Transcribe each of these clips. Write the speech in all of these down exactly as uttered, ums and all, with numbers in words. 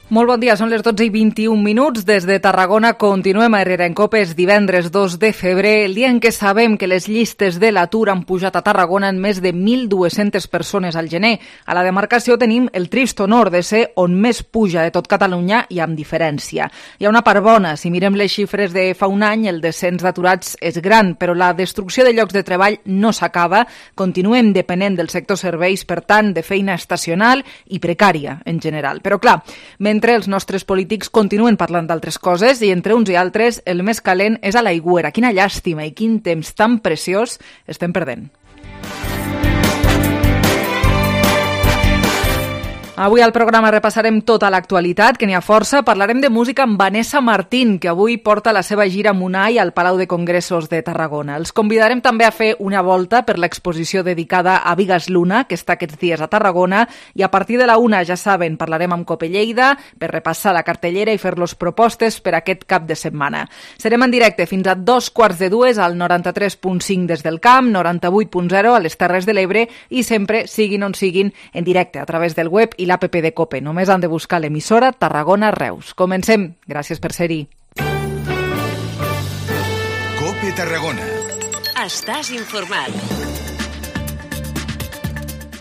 Molt bon dia, són les dotze i vint-i-un minuts. Des de Tarragona continuem a Herrera en Cope, és divendres dos de febrer, el dia en què sabem que les llistes de l'atur han pujat a Tarragona en més de mil dues-centes persones al gener. A la demarcació tenim el trist honor de ser on més puja de tot Catalunya i amb diferència. Hi ha una part bona, si mirem les xifres de fa un any, el descens d'aturats és gran, però la destrucció de llocs de treball no s'acaba. Continuem depenent del sector serveis, per tant, de feina estacional i precària en general. Però clar, mentre els nostres polítics continuen parlant d'altres coses i entre uns i altres el més calent és a l'aigüera. Quina llàstima i quin temps tan preciós estem perdent. Avui al programa repassarem tota l'actualitat, que n'hi ha força. Parlarem de música amb Vanessa Martín, que avui porta la seva gira Munai al Palau de Congressos de Tarragona. Els convidarem també a fer una volta per l'exposició dedicada a Bigas Luna, que està aquests dies a Tarragona, i a partir de la una, ja saben, parlarem amb Cope Lleida per repassar la cartellera i fer-los propostes per aquest cap de setmana. Serem en directe fins a dos quarts de dues al noranta-tres punt cinc des del Camp, noranta-vuit punt zero a les Terres de l'Ebre i sempre, siguin on siguin, en directe a través del web i l'app de Cope. Només han de buscar l'emissora Tarragona Reus. Comencem. Gràcies per ser-hi. Cope Tarragona. Estàs informat.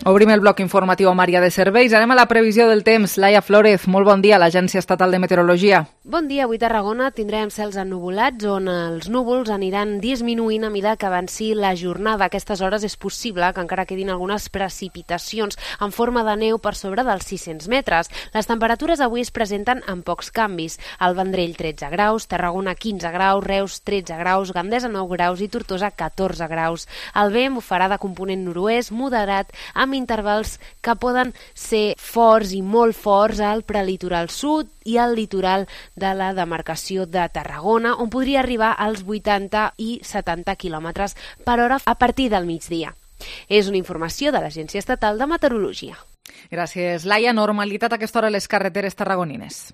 Obrim el bloc informatiu amb àrea de serveis. Anem a la previsió del temps. Laia Flórez, molt bon dia, l'Agència Estatal de Meteorologia. Bon dia. Avui a Tarragona tindrem cels ennuvolats on els núvols aniran disminuint a mesura que avanci la jornada. A aquestes hores és possible que encara quedin algunes precipitacions en forma de neu per sobre dels sis-cents metres. Les temperatures avui es presenten amb pocs canvis. Al Vendrell tretze graus, Tarragona quinze graus, Reus tretze graus, Gandesa nou graus i Tortosa catorze graus. El vent bufarà de component nord-oest moderat amb intervals que poden ser forts i molt forts al prelitoral sud i al litoral de la demarcació de Tarragona, on podria arribar als vuitanta i setanta quilòmetres per hora a partir del migdia. És una informació de l'Agència Estatal de Meteorologia. Gràcies, Laia. Normalitat a aquesta hora a les carreteres tarragonines.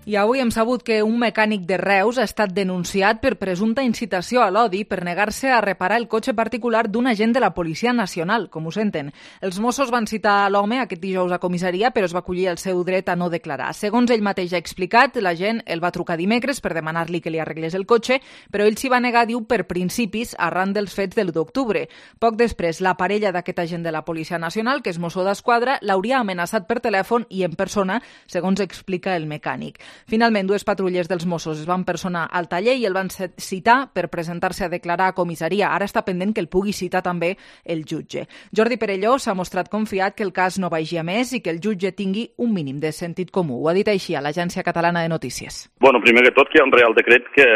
I avui hem sabut que un mecànic de Reus ha estat denunciat per presumpta incitació a l'odi per negar-se a reparar el cotxe particular d'un agent de la Policia Nacional, com ho senten. Els Mossos van citar l'home aquest dijous a comissaria, però es va acollir el seu dret a no declarar. Segons ell mateix ha explicat, l'agent el va trucar dimecres per demanar-li que li arreglés el cotxe, però ell s'hi va negar, diu, per principis, arran dels fets de l'u d'octubre. Poc després, la parella d'aquest agent de la Policia Nacional, que és mosso d'esquadra, l'hauria amenaçat per telèfon i en persona, segons explica el mecànic. Finalment, dues patrulles dels Mossos es van personar al taller i el van citar per presentar-se a declarar a comissaria. Ara està pendent que el pugui citar també el jutge. Jordi Perelló s'ha mostrat confiat que el cas no vagi a més i que el jutge tingui un mínim de sentit comú. Ho ha dit així a l'Agència Catalana de Notícies. Bueno, primer que tot, que hi ha un Real Decret que,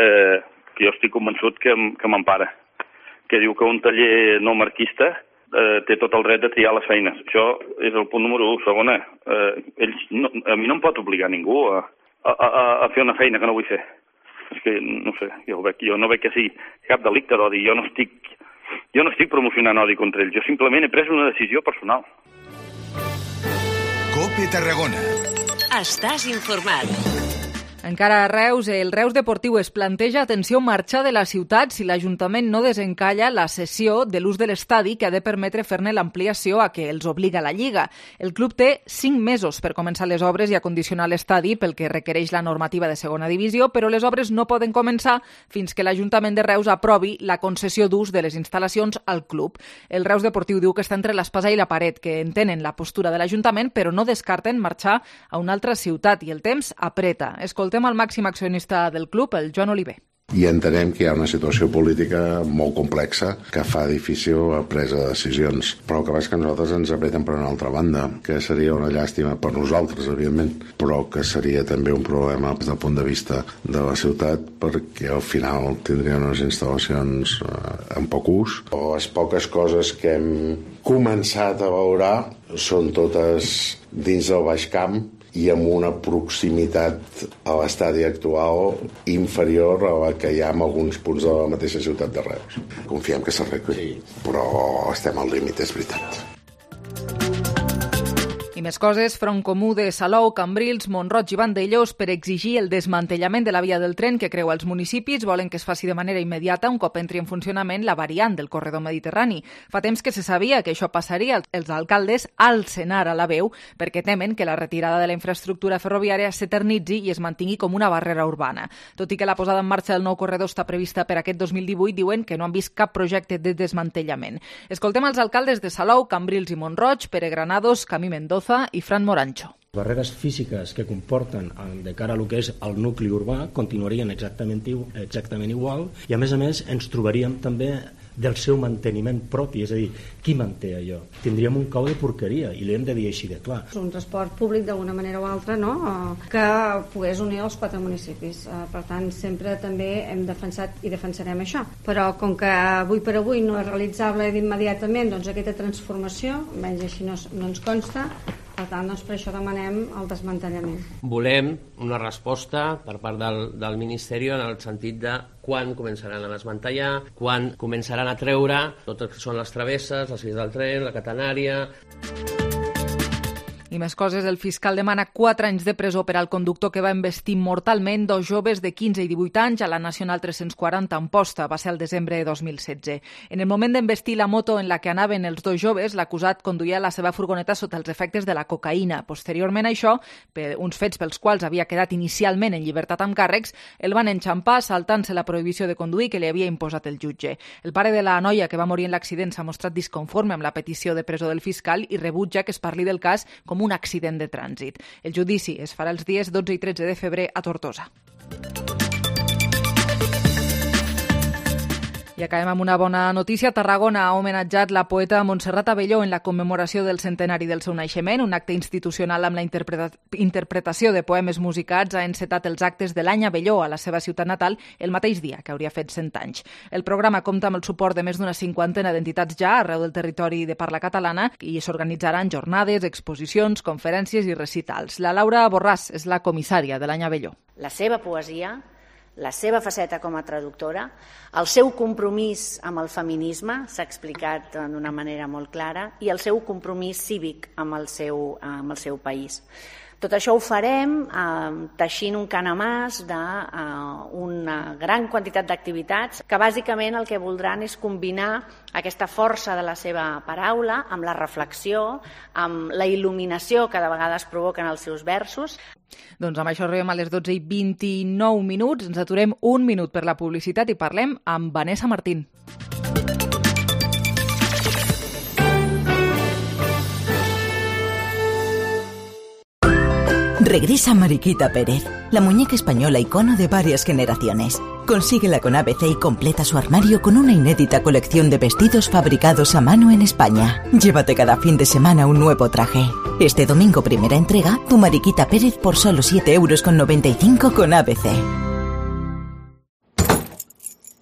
que jo estic convençut que, que m'empara, que diu que un taller no marquista eh, té tot el dret de triar les feines. Això és el punt número u. Segona, eh, ells no, a mi no em pot obligar ningú a A, a, a fer una feina que no vull fer. És que, no sé, jo, veig, jo no veig que sigui cap delicte d'odi. Jo no estic, jo no estic promocionant odi contra ells. Jo simplement he pres una decisió personal. Cope Tarragona. Estàs informat. Encara a Reus, el Reus Deportiu es planteja, atenció, marxar de la ciutat si l'Ajuntament no desencalla la cessió de l'ús de l'estadi que ha de permetre fer-ne l'ampliació a què els obliga la Lliga. El club té cinc mesos per començar les obres i acondicionar l'estadi pel que requereix la normativa de segona divisió, però les obres no poden començar fins que l'Ajuntament de Reus aprovi la concessió d'ús de les instal·lacions al club. El Reus Deportiu diu que està entre l'espasa i la paret, que entenen la postura de l'Ajuntament, però no descarten marxar a una altra ciutat i el temps apreta. Escoltem al màxim accionista del club, el Joan Oliver. I entenem que hi ha una situació política molt complexa que fa difícil la presa de decisions, però que que nosaltres ens apreten per una altra banda, que seria una llàstima per nosaltres, evidentment, però que seria també un problema des del punt de vista de la ciutat, perquè al final tindrien unes instal·lacions eh, en poc ús, o les poques coses que hem començat a valorar són totes dins del Baix Camp i amb una proximitat a l'estadi actual inferior a la que hi ha en alguns punts de la mateixa ciutat de Reus. Confiem que s'arregli, sí, però estem al límit, és veritat. I I més coses, Front Comú de Salou, Cambrils, Mont-roig i Vandellós per exigir el desmantellament de la via del tren que creua els municipis. Volen que es faci de manera immediata un cop entri en funcionament la variant del corredor mediterrani. Fa temps que se sabia que això passaria. Els alcaldes alcen ara la veu perquè temen que la retirada de la infraestructura ferroviària s'eternitzi i es mantingui com una barrera urbana. Tot i que la posada en marxa del nou corredor està prevista per aquest dos mil divuit, diuen que no han vist cap projecte de desmantellament. Escoltem els alcaldes de Salou, Cambrils i Mont-roig, Pere Granados, Camí Mendoza i Fran Morancho. Barreres físiques que comporten de cara a lo que és el nucli urbà continuarien exactament, exactament igual i a més a més ens trobaríem també del seu manteniment propi, és a dir, qui manté allò? Tindríem un cau de porqueria i li hem de dir així de clar. Un transport públic d'alguna manera o altra, no? Que pogués unir els quatre municipis. Per tant, sempre també hem defensat i defensarem això. Però com que avui per avui no és realitzable d'immediatament doncs, aquesta transformació, almenys així no, no ens consta, per tant, doncs, per això demanem el desmantellament. Volem una resposta per part del, del Ministeri en el sentit de quan començaran a desmantellar, quan començaran a treure tot el que són les travesses, les vies del tren, la catenària. I més coses, el fiscal demana quatre anys de presó per al conductor que va embestir mortalment dos joves de quinze i divuit anys a la Nacional tres-cents quaranta a Amposta. Va ser el desembre de dos mil setze. En el moment d'embestir la moto en la que anaven els dos joves, l'acusat conduïa la seva furgoneta sota els efectes de la cocaïna. Posteriorment a això, per uns fets pels quals havia quedat inicialment en llibertat amb càrrecs, el van enxampar saltant-se la prohibició de conduir que li havia imposat el jutge. El pare de la noia que va morir en l'accident s'ha mostrat disconforme amb la petició de presó del fiscal i rebutja que es parli del cas com un accident de trànsit. El judici es farà els dies dotze i tretze de febrer a Tortosa. I acabem amb una bona notícia. Tarragona ha homenatjat la poeta Montserrat Abelló en la commemoració del centenari del seu naixement. Un acte institucional amb la interpreta- interpretació de poemes musicats ha encetat els actes de l'any Abelló a la seva ciutat natal el mateix dia, que hauria fet cent anys. El programa compta amb el suport de més d'una cinquantena d'entitats ja arreu del territori de parla catalana i s'organitzaran jornades, exposicions, conferències i recitals. La Laura Borràs és la comissària de l'any Abelló. La seva poesia, la seva faceta com a traductora, el seu compromís amb el feminisme, s'ha explicat d'una manera molt clara, i el seu compromís cívic amb el seu, amb el seu país. Tot això ho farem eh, teixint un canamàs d'una eh, gran quantitat d'activitats que bàsicament el que voldran és combinar aquesta força de la seva paraula amb la reflexió, amb la il·luminació que de vegades provoquen els seus versos. Doncs amb això arribem a les dotze i vint-i-nou minuts. Ens aturem un minut per la publicitat i parlem amb Vanessa Martín. Regresa Mariquita Pérez, la muñeca española icono de varias generaciones. Consíguela con A B C y completa su armario con una inédita colección de vestidos fabricados a mano en España. Llévate cada fin de semana un nuevo traje. Este domingo primera entrega, tu Mariquita Pérez por solo siete euros con noventa y cinco con A B C.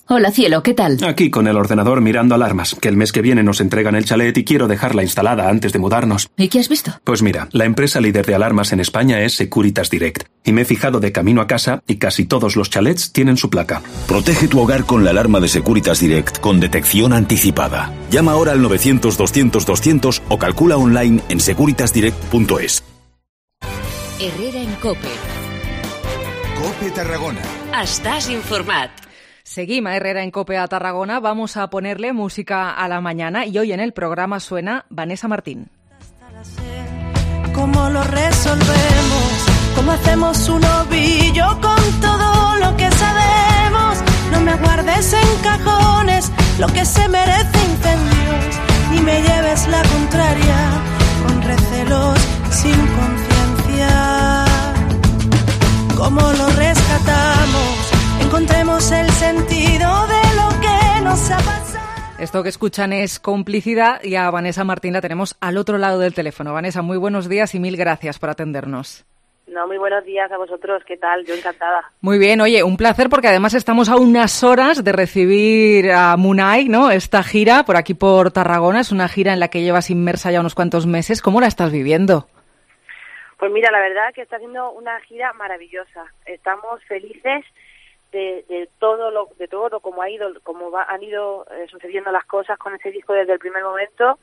Hola, cielo, ¿qué tal? Aquí con el ordenador mirando alarmas, que el mes que viene nos entregan el chalet y quiero dejarla instalada antes de mudarnos. ¿Y qué has visto? Pues mira, la empresa líder de alarmas en España es Securitas Direct. Y me he fijado de camino a casa y casi todos los chalets tienen su placa. Protege tu hogar con la alarma de Securitas Direct con detección anticipada. Llama ahora al novecientos doscientos doscientos o calcula online en securitas direct punto es. Herrera en COPE. COPE Tarragona. Estás informat. Seguimos a Herrera en COPE a Tarragona. Vamos a ponerle música a la mañana y hoy en el programa suena Vanessa Martín. ¿Cómo lo resolvemos? ¿Cómo hacemos un ovillo con todo lo que sabemos? No me guardes en cajones lo que se merece incendios, ni me lleves la contraria con recelos sin conciencia. ¿Cómo lo rescatamos? Encontremos el sentido de lo que nos ha pasado. Esto que escuchan es Complicidad y a Vanessa Martín la tenemos al otro lado del teléfono. Vanessa, muy buenos días y mil gracias por atendernos. No, muy buenos días a vosotros. ¿Qué tal? Yo encantada. Muy bien. Oye, un placer porque además estamos a unas horas de recibir a Munay, ¿no? Esta gira por aquí por Tarragona. Es una gira en la que llevas inmersa ya unos cuantos meses. ¿Cómo la estás viviendo? Pues mira, la verdad que está haciendo una gira maravillosa. Estamos felices de, de todo lo de todo lo como ha ido, como va, han ido eh, sucediendo las cosas con este disco desde el primer momento.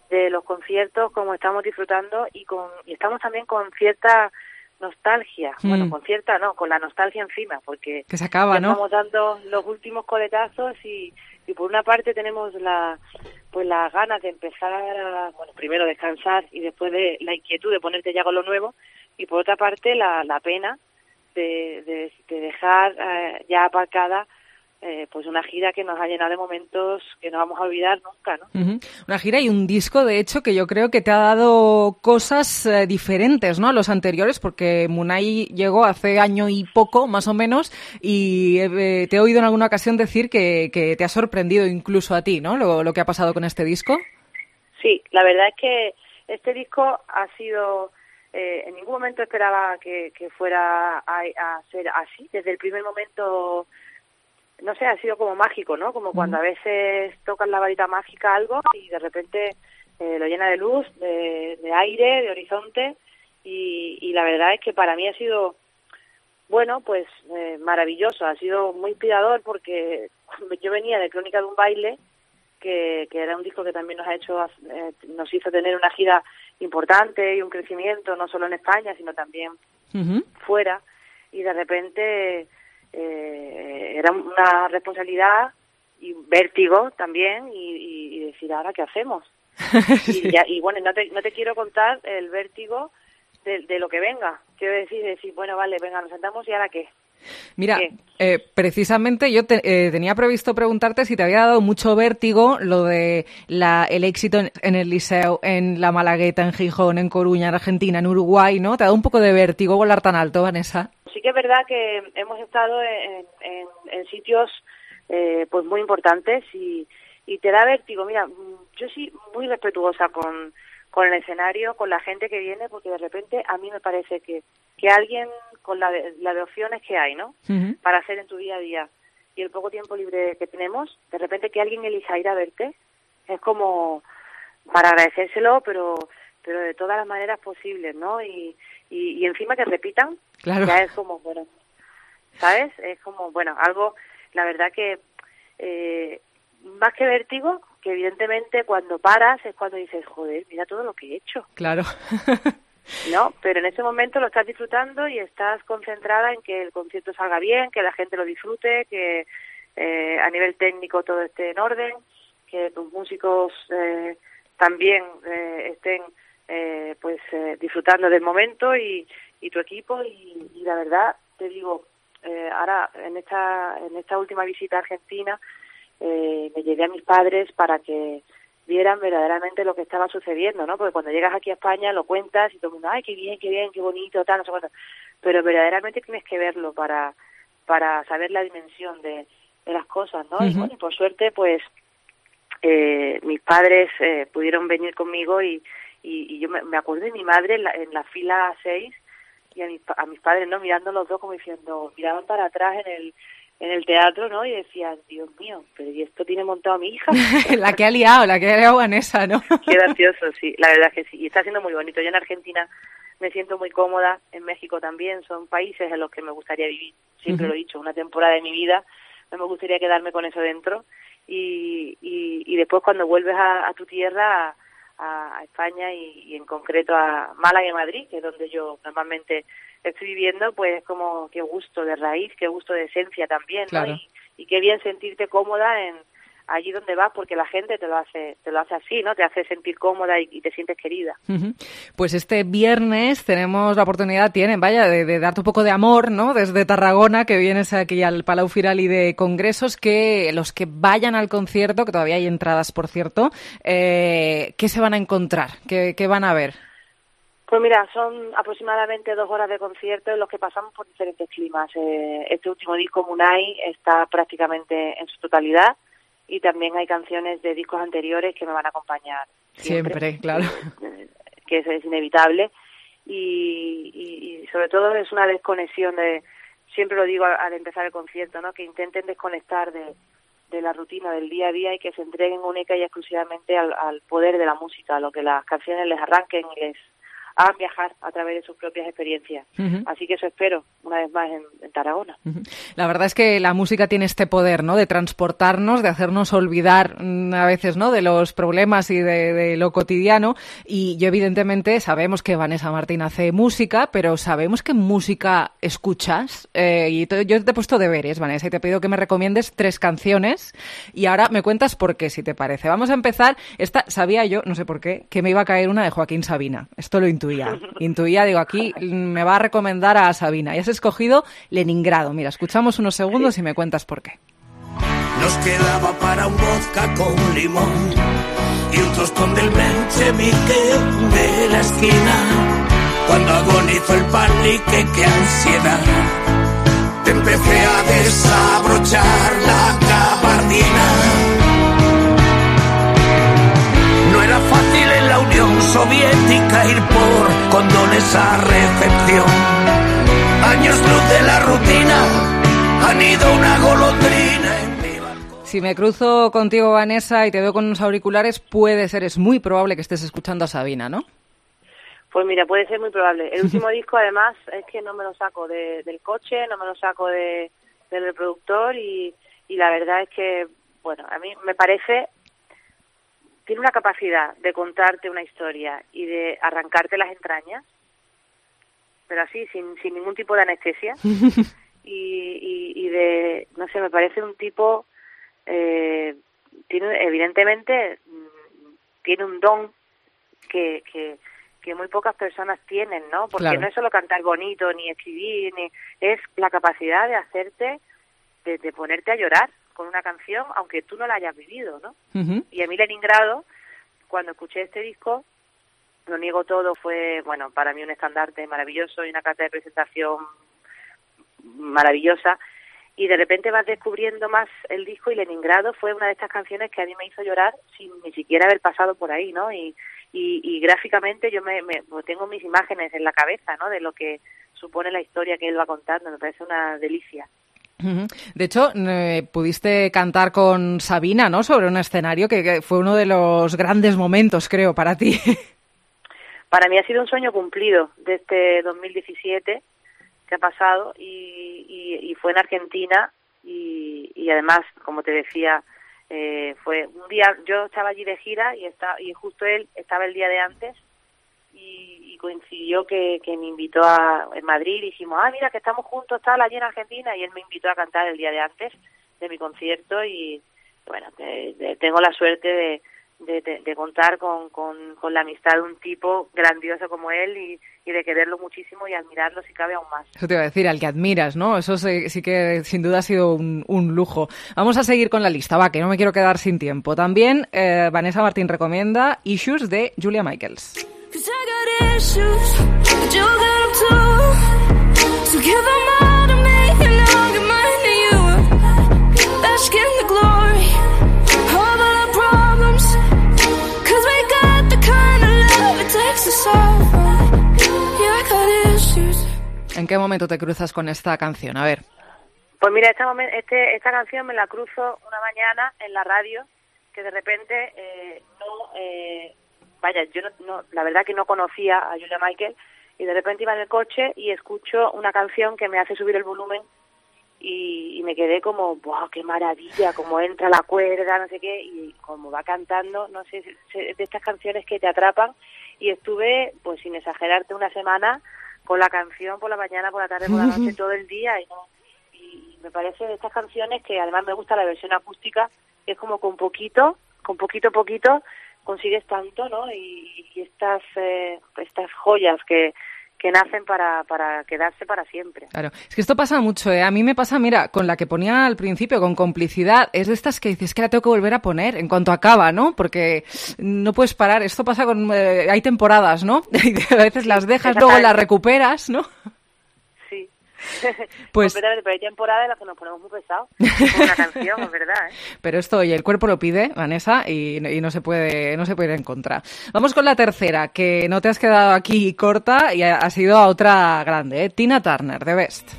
de los conciertos como estamos disfrutando y con y estamos también con cierta nostalgia, mm. bueno, con cierta no, con la nostalgia encima, porque que se acaba, ¿no? Estamos dando los últimos coletazos y, y por una parte tenemos la pues las ganas de empezar a, bueno, primero descansar y después de la inquietud de ponerte ya con lo nuevo, y por otra parte la, la pena de, de, de dejar eh, ya aparcada Eh, pues una gira que nos ha llenado de momentos que no vamos a olvidar nunca, ¿no? Uh-huh. Una gira y un disco, de hecho, que yo creo que te ha dado cosas eh, diferentes, ¿no?, a los anteriores, porque Munay llegó hace año y poco, más o menos, y eh, te he oído en alguna ocasión decir que, que te ha sorprendido incluso a ti, ¿no?, lo, lo que ha pasado con este disco. Sí, la verdad es que este disco ha sido... Eh, en ningún momento esperaba que, que fuera a, a ser así. Desde el primer momento... no sé, ha sido como mágico, ¿no? Como cuando a veces tocan la varita mágica algo y de repente eh, lo llena de luz, de, de aire, de horizonte, y, y la verdad es que para mí ha sido, bueno, pues eh, maravilloso, ha sido muy inspirador porque yo venía de Crónica de un baile, que, que era un disco que también nos ha hecho, eh, nos hizo tener una gira importante y un crecimiento, no solo en España, sino también uh-huh. fuera, y de repente... Eh, era una responsabilidad y vértigo también y, y, y decir, ¿ahora qué hacemos? sí. y, ya, y bueno, no te, no te quiero contar el vértigo de, de lo que venga. Quiero decir, decir, bueno, vale, venga, nos sentamos y ¿ahora qué? Mira, eh, precisamente yo te, eh, tenía previsto preguntarte si te había dado mucho vértigo lo de la, el éxito en, en el Liceo, en la Malagueta, en Gijón, en Coruña, en Argentina, en Uruguay, ¿no? ¿Te ha dado un poco de vértigo volar tan alto, Vanessa? Sí que es verdad que hemos estado en, en, en sitios eh, pues muy importantes y, y te da vértigo. Mira, yo sí muy respetuosa con, con el escenario, con la gente que viene, porque de repente a mí me parece que, que alguien con la de, la de opciones que hay, ¿no? Uh-huh. Para hacer en tu día a día y el poco tiempo libre que tenemos, de repente que alguien elija ir a verte es como para agradecérselo, pero pero de todas las maneras posibles, ¿no? Y, y, y encima que repitan, claro. Ya es como, bueno, ¿sabes? Es como, bueno, algo, la verdad que eh, más que vértigo, que evidentemente cuando paras es cuando dices, joder, mira todo lo que he hecho. Claro. No, pero en ese momento lo estás disfrutando y estás concentrada en que el concierto salga bien, que la gente lo disfrute, que eh, a nivel técnico todo esté en orden, que tus músicos eh, también eh, estén eh, pues eh, disfrutando del momento y, y tu equipo y, y la verdad te digo, eh, ahora en esta en esta última visita a Argentina eh, me llevé a mis padres para que vieran verdaderamente lo que estaba sucediendo, ¿no? Porque cuando llegas aquí a España lo cuentas y todo el mundo, ay, qué bien, qué bien, qué bonito, tal, no sé cuánto, pero verdaderamente tienes que verlo para para saber la dimensión de, de las cosas, ¿no? Uh-huh. Y bueno, por suerte, pues eh, mis padres eh, pudieron venir conmigo y Y, y yo me, me acuerdo de mi madre en la, en la fila seis y a mis, a mis padres, ¿no? Mirando los dos como diciendo, miraban para atrás en el en el teatro, ¿no? Y decían, Dios mío, pero ¿y esto tiene montado a mi hija? La que ha liado, la que ha liado Vanessa, ¿no? Qué gracioso, sí, la verdad es que sí. Y está siendo muy bonito. Yo en Argentina me siento muy cómoda, en México también, son países en los que me gustaría vivir. Siempre uh-huh. lo he dicho, una temporada de mi vida, no me gustaría quedarme con eso dentro. Y, y, y después cuando vuelves a, a tu tierra... A, a España y, y en concreto a Málaga y Madrid, que es donde yo normalmente estoy viviendo, pues como qué gusto de raíz, qué gusto de esencia también, claro. ¿no? Y, y qué bien sentirte cómoda en allí donde vas, porque la gente te lo hace te lo hace así, ¿no? Te hace sentir cómoda y, y te sientes querida. Uh-huh. Pues este viernes tenemos la oportunidad, tienen, vaya, de, de darte un poco de amor, ¿no? Desde Tarragona, que vienes aquí al Palau Firali de Congresos, que los que vayan al concierto, que todavía hay entradas, por cierto, eh, ¿qué se van a encontrar? ¿Qué, qué van a ver? Pues mira, son aproximadamente dos horas de concierto en los que pasamos por diferentes climas. Eh, este último disco, Munay, está prácticamente en su totalidad. Y también hay canciones de discos anteriores que me van a acompañar siempre, siempre claro, que, que eso es inevitable y, y, y sobre todo es una desconexión de, siempre lo digo al, al empezar el concierto, ¿no? Que intenten desconectar de, de la rutina del día a día y que se entreguen única y exclusivamente al, al poder de la música, a lo que las canciones les arranquen y les hagan viajar a través de sus propias experiencias. Uh-huh. Así que eso espero, una vez más, en, en Tarragona. Uh-huh. La verdad es que la música tiene este poder, ¿no?, de transportarnos, de hacernos olvidar a veces, ¿no?, de los problemas y de, de lo cotidiano. Y yo, evidentemente, sabemos que Vanessa Martín hace música, pero ¿sabemos qué música escuchas? Eh, y te, yo te he puesto deberes, Vanessa, y te pido que me recomiendes tres canciones. Y ahora me cuentas por qué, si te parece. Vamos a empezar. Esta, sabía yo, no sé por qué, que me iba a caer una de Joaquín Sabina. Esto lo intuía. Intuía, digo, aquí me va a recomendar a Sabina. Y has escogido Leningrado. Mira, escuchamos unos segundos y me cuentas por qué. Nos quedaba para un vodka con limón y un tostón del Menchevique de la esquina. Cuando agonizo el panique, qué ansiedad. Te empecé a desabrochar la gabardina. No era fácil en la Unión Soviética ir por condones a recepción. Años luz de la rutina, han ido una golondrina en mi balcón. Si me cruzo contigo, Vanessa, y te veo con unos auriculares, puede ser, es muy probable que estés escuchando a Sabina, ¿no? Pues mira, puede ser muy probable. El último disco, además, es que no me lo saco de, del coche, no me lo saco de, del reproductor y, y la verdad es que, bueno, a mí me parece... Tiene una capacidad de contarte una historia y de arrancarte las entrañas, pero así, sin, sin ningún tipo de anestesia. y, y, y de, no sé, me parece un tipo, eh, tiene evidentemente, tiene un don que, que, que muy pocas personas tienen, ¿no? Porque claro, no es solo cantar bonito, ni escribir, ni es la capacidad de hacerte, de, de ponerte a llorar con una canción, aunque tú no la hayas vivido, ¿no? Uh-huh. Y a mí Leningrado, cuando escuché este disco, Lo niego todo, fue, bueno, para mí un estandarte maravilloso y una carta de presentación maravillosa, y de repente vas descubriendo más el disco, y Leningrado fue una de estas canciones que a mí me hizo llorar sin ni siquiera haber pasado por ahí, ¿no? Y, y, y gráficamente yo me, me tengo mis imágenes en la cabeza, ¿no?, de lo que supone la historia que él va contando, me parece una delicia. De hecho, eh, pudiste cantar con Sabina, ¿no?, sobre un escenario que, que fue uno de los grandes momentos, creo, para ti. Para mí ha sido un sueño cumplido de este dos mil diecisiete que ha pasado, y, y, y fue en Argentina, y, y además, como te decía, eh, fue un día, yo estaba allí de gira y, está, y justo él estaba el día de antes, y, y coincidió que, que me invitó a en Madrid, y dijimos, ah, mira, que estamos juntos, tal, allí en Argentina, y él me invitó a cantar el día de antes de mi concierto, y bueno, te, te, tengo la suerte de, de, de, de contar con, con, con la amistad de un tipo grandioso como él, y, y de quererlo muchísimo y admirarlo si cabe aún más. Eso te iba a decir, al que admiras, ¿no? Eso sí, sí que sin duda ha sido un, un lujo. Vamos a seguir con la lista, va, que no me quiero quedar sin tiempo. También eh, Vanessa Martín recomienda Issues de Julia Michaels. Cause I got issues, but you got them too. So give them all to me and I'll give mine to you. Bask in the glory of all our problems. Cause we got the kind of love it takes to solve them. Yeah, I got issues. ¿En qué momento te cruzas con esta canción? A ver. Pues mira, esta, momen- este, esta canción me la cruzo una mañana en la radio, que de repente eh, no... Eh, Vaya, yo no, no, la verdad que no conocía a Julia Michaels, y de repente iba en el coche y escucho una canción que me hace subir el volumen, y, y me quedé como, ¡wow, qué maravilla! Cómo entra la cuerda, no sé qué, y como va cantando, no sé, de estas canciones que te atrapan, y estuve, pues sin exagerarte, una semana con la canción por la mañana, por la tarde, por la noche, todo el día, y, no, y me parece de estas canciones que además me gusta la versión acústica, que es como con poquito, con poquito a poquito, consigues tanto, ¿no? Y, y estas eh, estas joyas que, que nacen para, para quedarse para siempre. Claro, es que esto pasa mucho, ¿eh? A mí me pasa, mira, con la que ponía al principio, con Complicidad, es de estas que dices que la tengo que volver a poner en cuanto acaba, ¿no? Porque no puedes parar, esto pasa con... Eh, hay temporadas, ¿no? Y a veces las dejas, luego las recuperas, ¿no? Sí. Pues, completamente, pero hay temporadas en las que nos ponemos muy pesados con una canción, es verdad, ¿eh? Pero esto, oye, el cuerpo lo pide, Vanessa, y, y no se puede no se puede ir en contra. Vamos con la tercera, que no te has quedado aquí corta y ha, ha sido a otra grande, ¿eh? Tina Turner, The Best.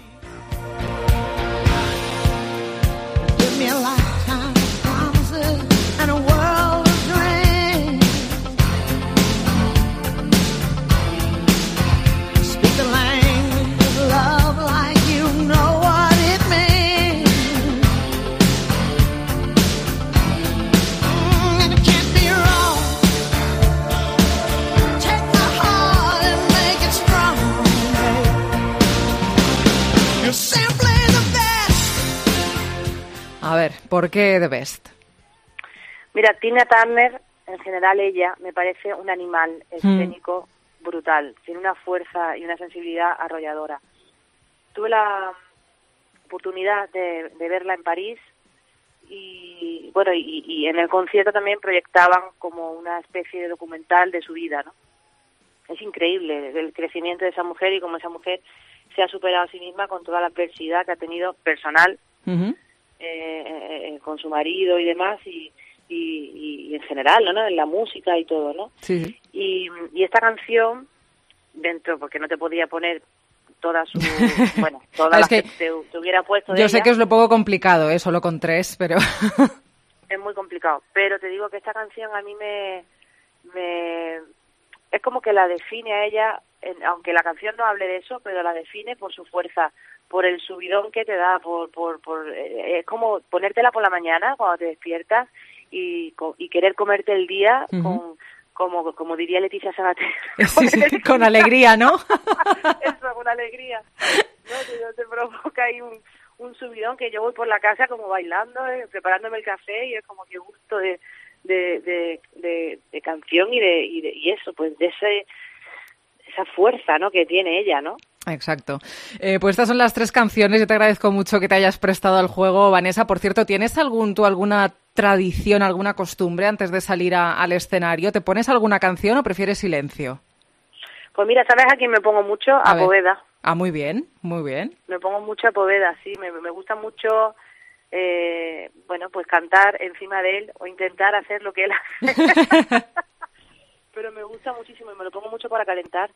¿Por qué The Best? Mira, Tina Turner, en general ella, me parece un animal escénico mm. brutal. Tiene una fuerza y una sensibilidad arrolladora. Tuve la oportunidad de, de verla en París y, bueno, y, y en el concierto también proyectaban como una especie de documental de su vida, ¿no? Es increíble el crecimiento de esa mujer y cómo esa mujer se ha superado a sí misma con toda la adversidad que ha tenido personal uh-huh. eh, eh, con su marido y demás y, y, y en general, ¿no? En la música y todo, ¿no? Sí. Y, y esta canción, dentro, porque no te podía poner toda su, bueno, todas las que, que te, te hubiera puesto de Yo ella, sé que es lo poco complicado, ¿eh? Solo con tres, pero... es muy complicado, pero te digo que esta canción a mí me... me es como que la define a ella, aunque la canción no hable de eso, pero la define por su fuerza, por el subidón que te da, por por, por eh, es como ponértela por la mañana cuando te despiertas y, y querer comerte el día uh-huh. con como como diría Leticia Sabater. Sí, sí, con alegría, ¿no? Eso, con alegría. No, te, te provoca ahí un, un subidón que yo voy por la casa como bailando, eh, preparándome el café y es como que gusto de De, de, de, de canción y de, y de y eso, pues de ese esa fuerza, ¿no? Que tiene ella, ¿no? Exacto. Eh, pues estas son las tres canciones. Yo te agradezco mucho que te hayas prestado al juego, Vanessa. Por cierto, ¿tienes algún tú alguna tradición, alguna costumbre antes de salir a, al escenario? ¿Te pones alguna canción o prefieres silencio? Pues mira, ¿sabes a quién me pongo mucho? A, a Poveda. Ah, muy bien, muy bien. Me pongo mucho a Poveda, sí. Me, me gusta mucho... Eh, bueno, pues cantar encima de él o intentar hacer lo que él hace. Pero me gusta muchísimo y me lo pongo mucho para calentar.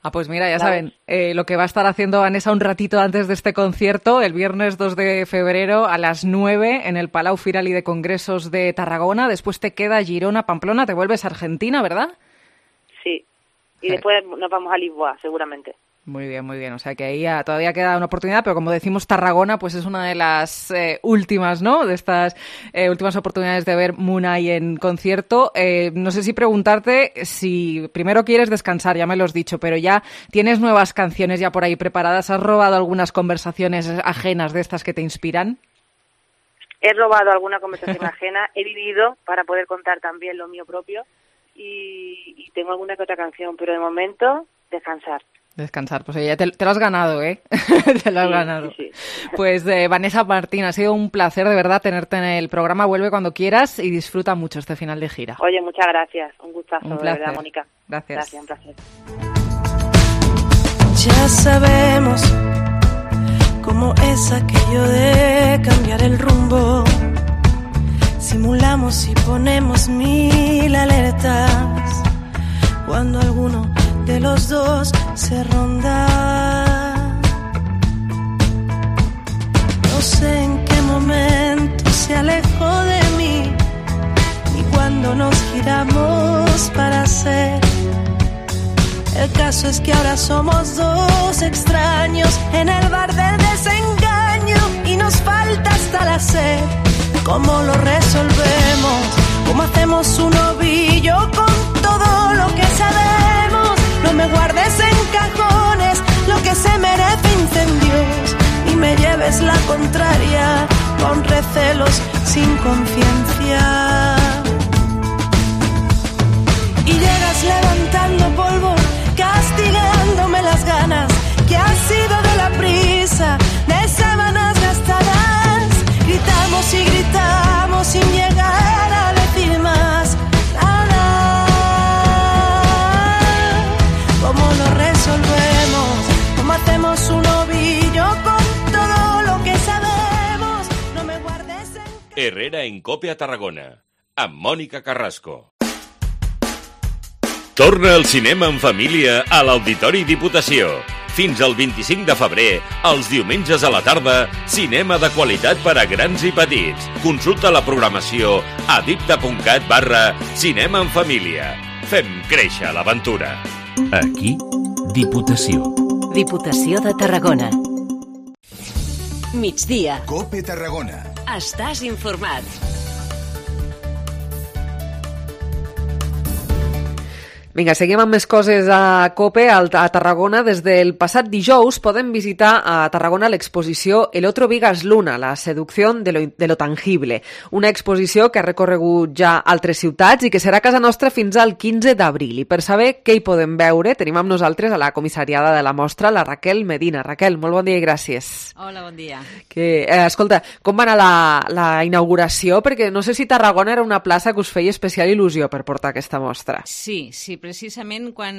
Ah, pues mira, ya saben, eh, lo que va a estar haciendo Vanessa un ratito antes de este concierto, el viernes dos de febrero a las nueve en el Palau Firal y de Congresos de Tarragona. Después te queda Girona, Pamplona, te vuelves a Argentina, ¿verdad? Sí, y sí. Después nos vamos a Lisboa, seguramente. Muy bien, muy bien. O sea que ahí ya todavía queda una oportunidad, pero como decimos, Tarragona pues es una de las eh, últimas, ¿no? De estas eh, últimas oportunidades de ver Munay en concierto. Eh, no sé si preguntarte si primero quieres descansar, ya me lo has dicho, pero ya tienes nuevas canciones ya por ahí preparadas. ¿Has robado algunas conversaciones ajenas de estas que te inspiran? He robado alguna conversación ajena, he vivido para poder contar también lo mío propio y, y tengo alguna que otra canción, pero de momento descansar. Descansar, pues ya te, te lo has ganado, ¿eh? te lo has sí, ganado. Sí, sí. Pues eh, Vanessa Martín, ha sido un placer de verdad tenerte en el programa. Vuelve cuando quieras y disfruta mucho este final de gira. Oye, muchas gracias. Un gustazo, un placer. de verdad, Mónica. Gracias. Gracias, un placer. Ya sabemos cómo es aquello de cambiar el rumbo. Simulamos y ponemos mil alertas cuando alguno de los dos se ronda. No sé en qué momento se alejó de mí, ni cuando nos giramos para ser. El caso es que ahora somos dos extraños en el bar del desengaño y nos falta hasta la sed. ¿Cómo lo resolvemos? ¿Cómo hacemos un ovillo con todo lo que sabemos? No me guardes en cajones lo que se merece incendios y me lleves la contraria con recelos sin conciencia. Y llegas levantando polvo, castigándome las ganas que ha sido de la prisa, de sábanas gastadas. Gritamos y gritamos sin llegar a decir más nada. ¿Cómo lo resolvemos? ¿Cómo hacemos un ovillo con todo lo que sabemos? No me guardes en... Herrera en Cope a Tarragona, amb Mònica Carrasco. Torna al cinema en família a l'Auditori Diputació. Fins al vint-i-cinc de febrer, els diumenges a la tarda, cinema de qualitat per a grans i petits. Consulta la programació a dipta.cat barra cinema en família. Fem créixer l'aventura. Aquí, Diputació. Diputació de Tarragona. Migdia. Cope Tarragona. Estàs informat. Vinga, seguim amb més coses a COPE, a Tarragona. Des del passat dijous podem visitar a Tarragona l'exposició El otro Vigas Luna, la seducció de lo, de lo tangible. Una exposició que ha recorregut ja altres ciutats i que serà a casa nostra fins al quinze d'abril. I per saber què hi podem veure, tenim amb nosaltres a la comissariada de la mostra, la Raquel Medina. Raquel, molt bon dia i gràcies. Hola, bon dia. Que, eh, escolta, com va anar la, la inauguració? Perquè no sé si Tarragona era una plaça que us feia especial il·lusió per portar aquesta mostra. Sí, sí, precisament quan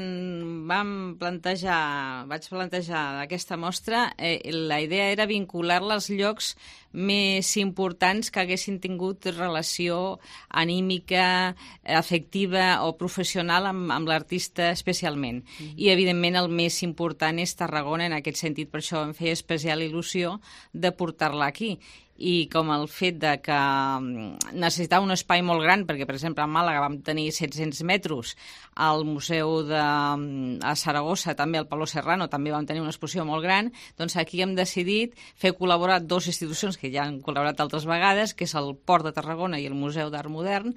vam plantejar, vaig plantejar aquesta mostra, eh, la idea era vincular-la als llocs més importants que haguessin tingut relació anímica, afectiva o professional amb, amb l'artista especialment. Mm. I, evidentment, el més important és Tarragona en aquest sentit. Per això em feia especial il·lusió de portar-la aquí. I com el fet de que necessitava un espai molt gran, perquè, per exemple, a Màlaga vam tenir set-cents metres, al Museu de a Saragossa, també al Palau Serrano, també vam tenir una exposició molt gran, doncs aquí hem decidit fer col·laborar dues institucions que ja han col·laborat altres vegades, que és el Port de Tarragona i el Museu d'Art Modern,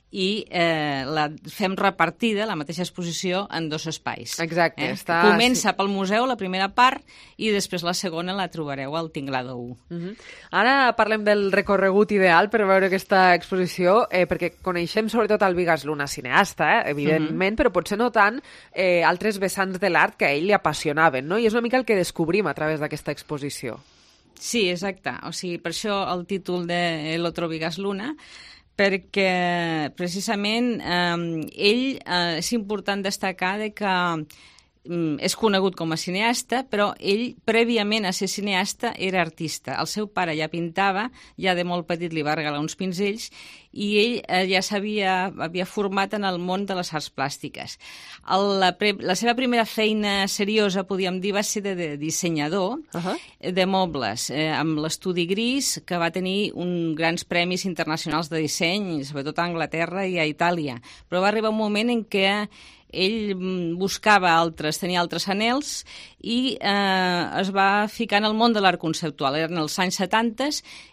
i eh, la fem repartida, la mateixa exposició, en dos espais. Exacte. Eh? Està... Comença pel museu, la primera part, i després la segona la trobareu al Tinglado u. Uh-huh. Ara parlem del recorregut ideal per veure aquesta exposició, eh, perquè coneixem sobretot el Vigas Luna cineasta, eh, evidentment, uh-huh. però potser no tant eh, altres vessants de l'art que a ell li apassionaven, no? I és una mica el que descobrim a través d'aquesta exposició. Sí, exacte. O sigui, per això el títol de El otro Vigas Luna, perquè precisament eh, ell eh, és important destacar de que eh, és conegut com a cineasta, però ell, prèviament a ser cineasta, era artista. El seu pare ja pintava, ja de molt petit li va regalar uns pinzells, i ell eh, ja s'havia havia format en el món de les arts plàstiques. El, la, pre, la seva primera feina seriosa, podríem dir, va ser de, de dissenyador uh-huh. de mobles, eh, amb l'Estudi Gris, que va tenir un grans premis internacionals de disseny, sobretot a Anglaterra i a Itàlia. Però va arribar un moment en què ell buscava altres, tenia altres anhels i eh, es va ficar en el món de l'art conceptual. Eren els anys setanta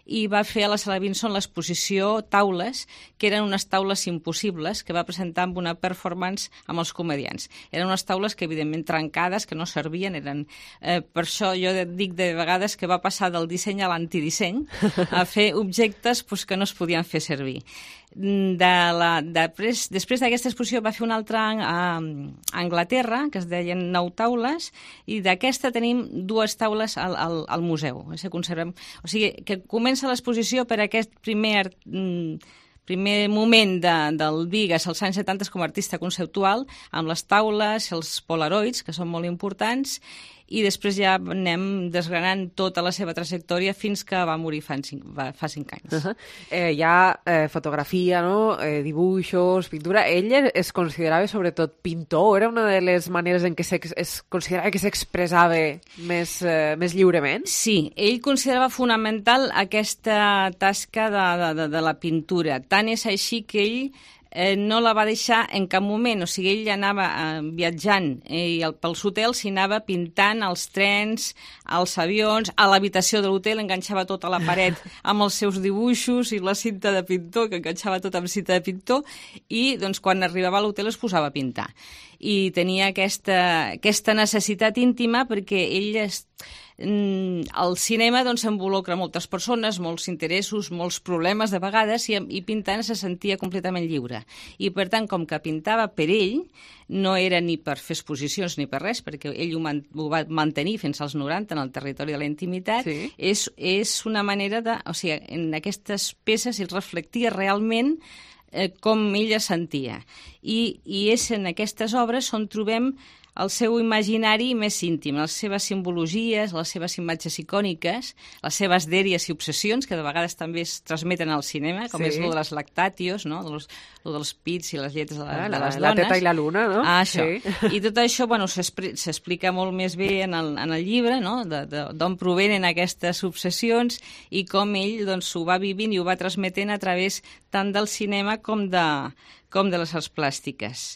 i va fer a la Sala Vinson l'exposició Taules, que eren unes taules impossibles que va presentar amb una performance amb els comedians. Eren unes taules que, evidentment, trencades, que no servien. Eren, eh, per això jo dic de vegades que va passar del disseny a l'antidisseny, a fer objectes pues, que no es podien fer servir. De la, de pres, després d'aquesta exposició va fer una altra a, a Anglaterra, que es deien Nou Taules, i d'aquesta tenim dues taules al, al, al museu. O sigui, que comença l'exposició per aquest primer, primer moment de, del Vigas als anys setanta com a artista conceptual, amb les taules, els polaroids, que són molt importants, i després ja anem desgranant tota la seva trajectòria fins que va morir fa cinc, fa cinc anys. Uh-huh. Eh, hi ha eh, fotografia, no? eh, dibuixos, pintura. Ell es considerava sobretot pintor? Era una de les maneres en què es considerava que s'expressava més, eh, més lliurement? Sí, ell considerava fonamental aquesta tasca de, de, de, de la pintura. Tant és així que ell Eh, no la va deixar en cap moment, o sigui, ell anava eh, viatjant eh, i el, pels hotels s'hi anava pintant els trens, els avions, a l'habitació de l'hotel enganxava tota la paret amb els seus dibuixos i la cinta de pintor, que enganxava tot amb cinta de pintor, i doncs quan arribava a l'hotel es posava a pintar. I tenia aquesta, aquesta necessitat íntima perquè ell es, el cinema doncs, involucra moltes persones, molts interessos, molts problemes de vegades, i, i pintant se sentia completament lliure. I per tant, com que pintava per ell, no era ni per fer exposicions ni per res, perquè ell ho, man, ho va mantenir fins als noranta en el territori de la intimitat, sí. és, és una manera de... O sigui, en aquestes peces ell reflectia realment eh, com ella sentia. I, I és en aquestes obres on trobem el seu imaginari més íntim, les seves simbologies, les seves imatges icòniques, les seves dèries i obsessions, que de vegades també es transmeten al cinema, com sí. és el de les lactatios, no? de los, el dels pits i les lletres de, la, ah, de les la, dones. La teta i la luna, no? Ah, això. Sí. I tot això bueno, s'explica molt més bé en el, en el llibre, no? d'on provenen aquestes obsessions i com ell doncs, ho va vivint i ho va transmetent a través tant del cinema com de, com de les arts plàstiques.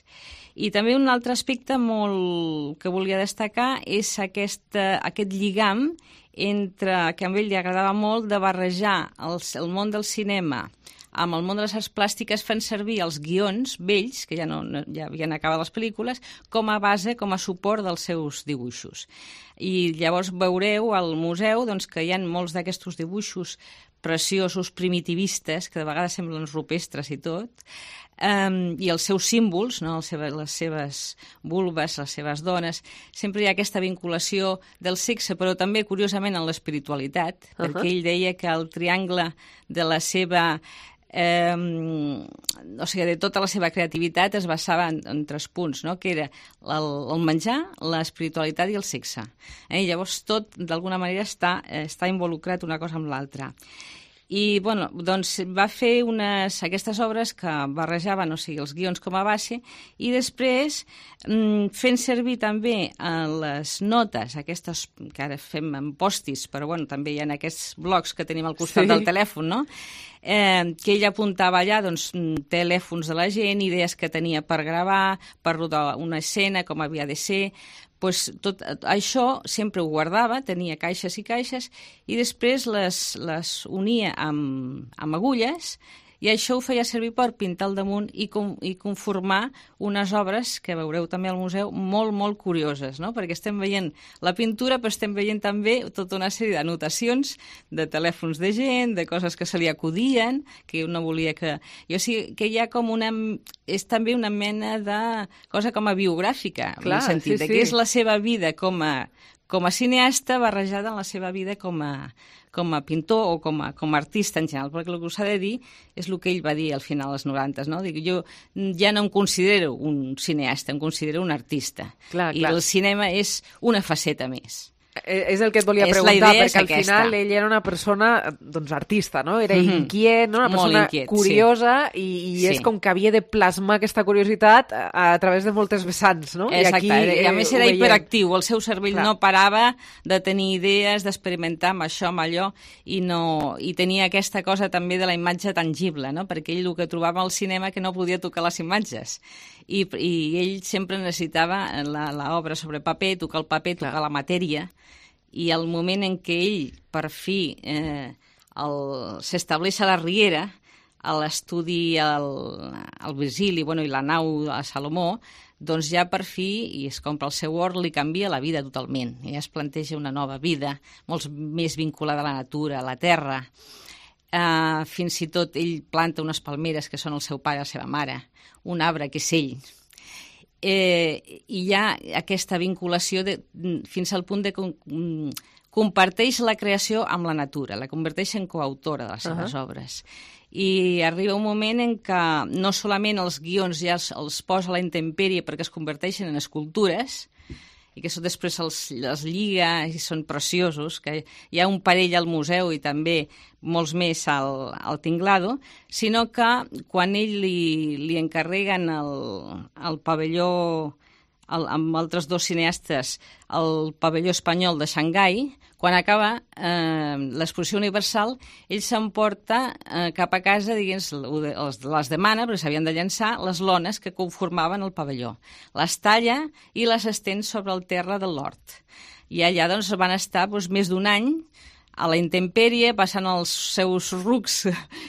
I també un altre aspecte molt que volia destacar és aquest, aquest lligam entre, que a ell li agradava molt, de barrejar el, el món del cinema amb el món de les arts plàstiques fan servir els guions vells, que ja, no, ja havien acabat les pel·lícules, com a base, com a suport dels seus dibuixos. I llavors veureu al museu doncs, que hi ha molts d'aquests dibuixos preciosos, primitivistes, que de vegades semblen rupestres i tot, um, i els seus símbols, no? les, seves, les seves vulves, les seves dones, sempre hi ha aquesta vinculació del sexe, però també, curiosament, en l'espiritualitat, uh-huh. perquè ell deia que el triangle de la seva... Eh, o sigui, de tota la seva creativitat es basava en, en tres punts, no? Que era el, el menjar, l'espiritualitat i el sexe. Eh? I llavors tot, d'alguna manera, està, està involucrat una cosa amb l'altra. I, bueno, doncs va fer unes, aquestes obres que barrejaven, o sigui, els guions com a base, i després mm, fent servir també eh, les notes, aquestes que ara fem en postis, però bueno, també hi ha aquests blocs que tenim al costat sí. del telèfon, no? Eh, que ell apuntava allà doncs, telèfons de la gent, idees que tenia per gravar, per rodar una escena, com havia de ser. Pues tot això sempre ho guardava, tenia caixes i caixes, i després les, les unia amb, amb agulles, i això ho feia servir per pintar al damunt i, com, i conformar unes obres que veureu també al museu molt, molt curioses, no? Perquè estem veient la pintura, però estem veient també tota una sèrie d'anotacions de telèfons de gent, de coses que se li acudien, que no volia que... O sigui, que hi ha com una... És també una mena de cosa com a biogràfica, Clar, en el sentit sí, de que sí. és la seva vida com a, com a cineasta barrejada en la seva vida com a... com a pintor o com a, com a artista en general, perquè el que us ha de dir és el que ell va dir al final dels noranta, no? Dic, jo ja no em considero un cineasta, em considero un artista. Clar, I clar. el cinema és una faceta més. És el que et volia és preguntar, perquè al aquesta. final ell era una persona doncs, artista, no? Era Mm-hmm. inquiet, no? Una Molt persona inquiet, curiosa sí. i, i Sí. és com que havia de plasmar aquesta curiositat a, a través de moltes vessants, no? Exacte, I, aquí, i a més era ho veiem. hiperactiu, el seu cervell Clar. no parava de tenir idees, d'experimentar amb això, amb allò, i, no, i tenia aquesta cosa també de la imatge tangible, no? Perquè ell el que trobava al cinema que no podia tocar les imatges, i, i ell sempre necessitava l'obra sobre paper, tocar el paper, tocar Clar. la matèria, i el moment en què ell, per fi, eh, s'estableix a la Riera, a l'estudi al, al Virgili, bueno, i la nau a Salomó, doncs ja per fi, i es compra el seu hort, li canvia la vida totalment. I ja es planteja una nova vida, molt més vinculada a la natura, a la terra. Uh, fins i tot ell planta unes palmeres que són el seu pare i la seva mare, un arbre que és ell. Eh, i hi ha aquesta vinculació de, fins al punt de com, comparteix la creació amb la natura, la converteix en coautora de les seves uh-huh. obres. I arriba un moment en què no solament els guions ja els, els posa a la intempèrie perquè es converteixen en escultures, i que això després els, els lliga i són preciosos, que hi ha un parell al museu i també molts més al, al Tinglado, sinó que quan ell li, li encarreguen el, el pavelló, el, amb altres dos cineastes, el pavelló espanyol de Xangai, quan acaba eh, l'exposició universal, ell s'emporta eh, cap a casa, diguem, les, les demana, perquè s'havien de llançar, les lones que conformaven el pavelló. Les talla i les estén sobre el terra del l'hort. I allà doncs, van estar doncs, més d'un any a la intempèrie, passant els seus rucs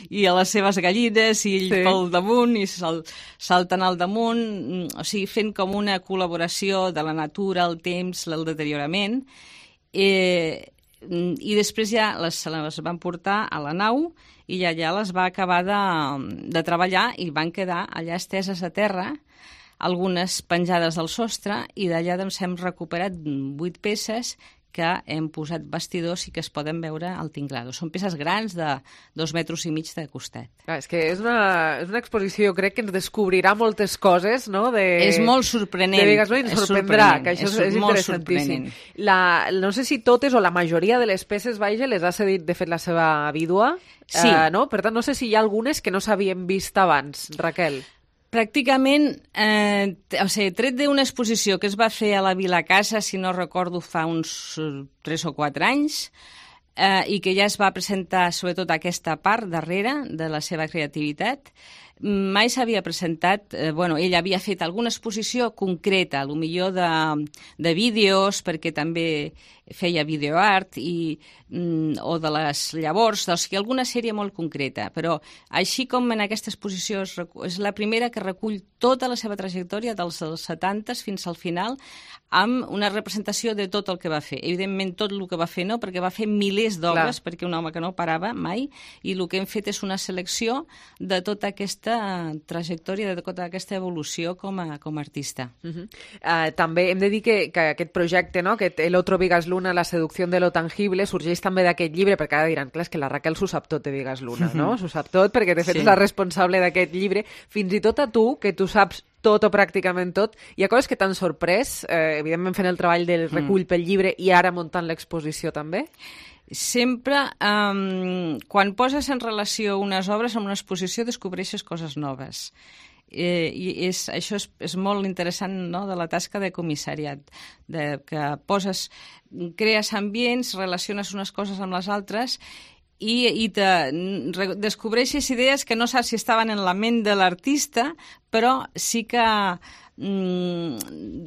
i a les seves gallines, i ell sí. pel damunt, i sal, salten al damunt, o sigui, fent com una col·laboració de la natura, el temps, el deteriorament. Eh, i després ja les, les van portar a la nau i allà les va acabar de, de treballar i van quedar allà esteses a terra, algunes penjades al sostre, i d'allà doncs, hem recuperat vuit peces que hem posat vestidors i que es poden veure al Tinglado. Són peces grans de dos metres i mig de costat. Ah, és que és una, és una exposició, crec que ens descobrirà moltes coses, no? De, és molt sorprenent. De Vegas, no? I ens és sorprendrà, que això és, és interessantíssim. La, no sé si totes o la majoria de les peces, vaja, les ha cedit, de fet, la seva vídua. Sí. Uh, no? Per tant, no sé si hi ha algunes que no s'havien vist abans, Raquel. Pràcticament, eh, o sigui, tret d'una exposició que es va fer a la Vila Casa, si no recordo, fa uns tres o quatre anys, eh, i que ja es va presentar sobretot aquesta part darrere de la seva creativitat, mai s'havia presentat, eh, bueno, ell havia fet alguna exposició concreta, potser de, de vídeos, perquè també feia videoart i, mm, o de les llavors, o sigui, alguna sèrie molt concreta, però així com en aquesta exposició és, és la primera que recull tota la seva trajectòria dels setanta fins al final, amb una representació de tot el que va fer. Evidentment, tot el que va fer no, perquè va fer milers d'obres, perquè un home que no parava mai, i el que hem fet és una selecció de tota aquesta trajectòria, de tota aquesta evolució com a, com a artista. Uh-huh. uh, també hem de dir que, que aquest projecte, no? Aquest El otro Vigas Luna, la seducció de lo tangible, sorgeix també d'aquest llibre, perquè ara diran, clar, és que la Raquel s'ho sap tot de Vigas Luna, no? S'ho sap tot, perquè de fet sí. és la responsable d'aquest llibre. Fins i tot a tu, que tu saps tot o pràcticament tot, hi ha coses que t'han sorprès, eh, evidentment fent el treball del recull pel llibre i ara muntant l'exposició també? Sempre, um, quan poses en relació unes obres amb una exposició, descobreixes coses noves. Eh, i és, això és, és molt interessant, no?, de la tasca de comissariat, de, que poses, crees ambients, relaciones unes coses amb les altres i, i te descobreixes idees que no saps si estaven en la ment de l'artista, però sí que mm,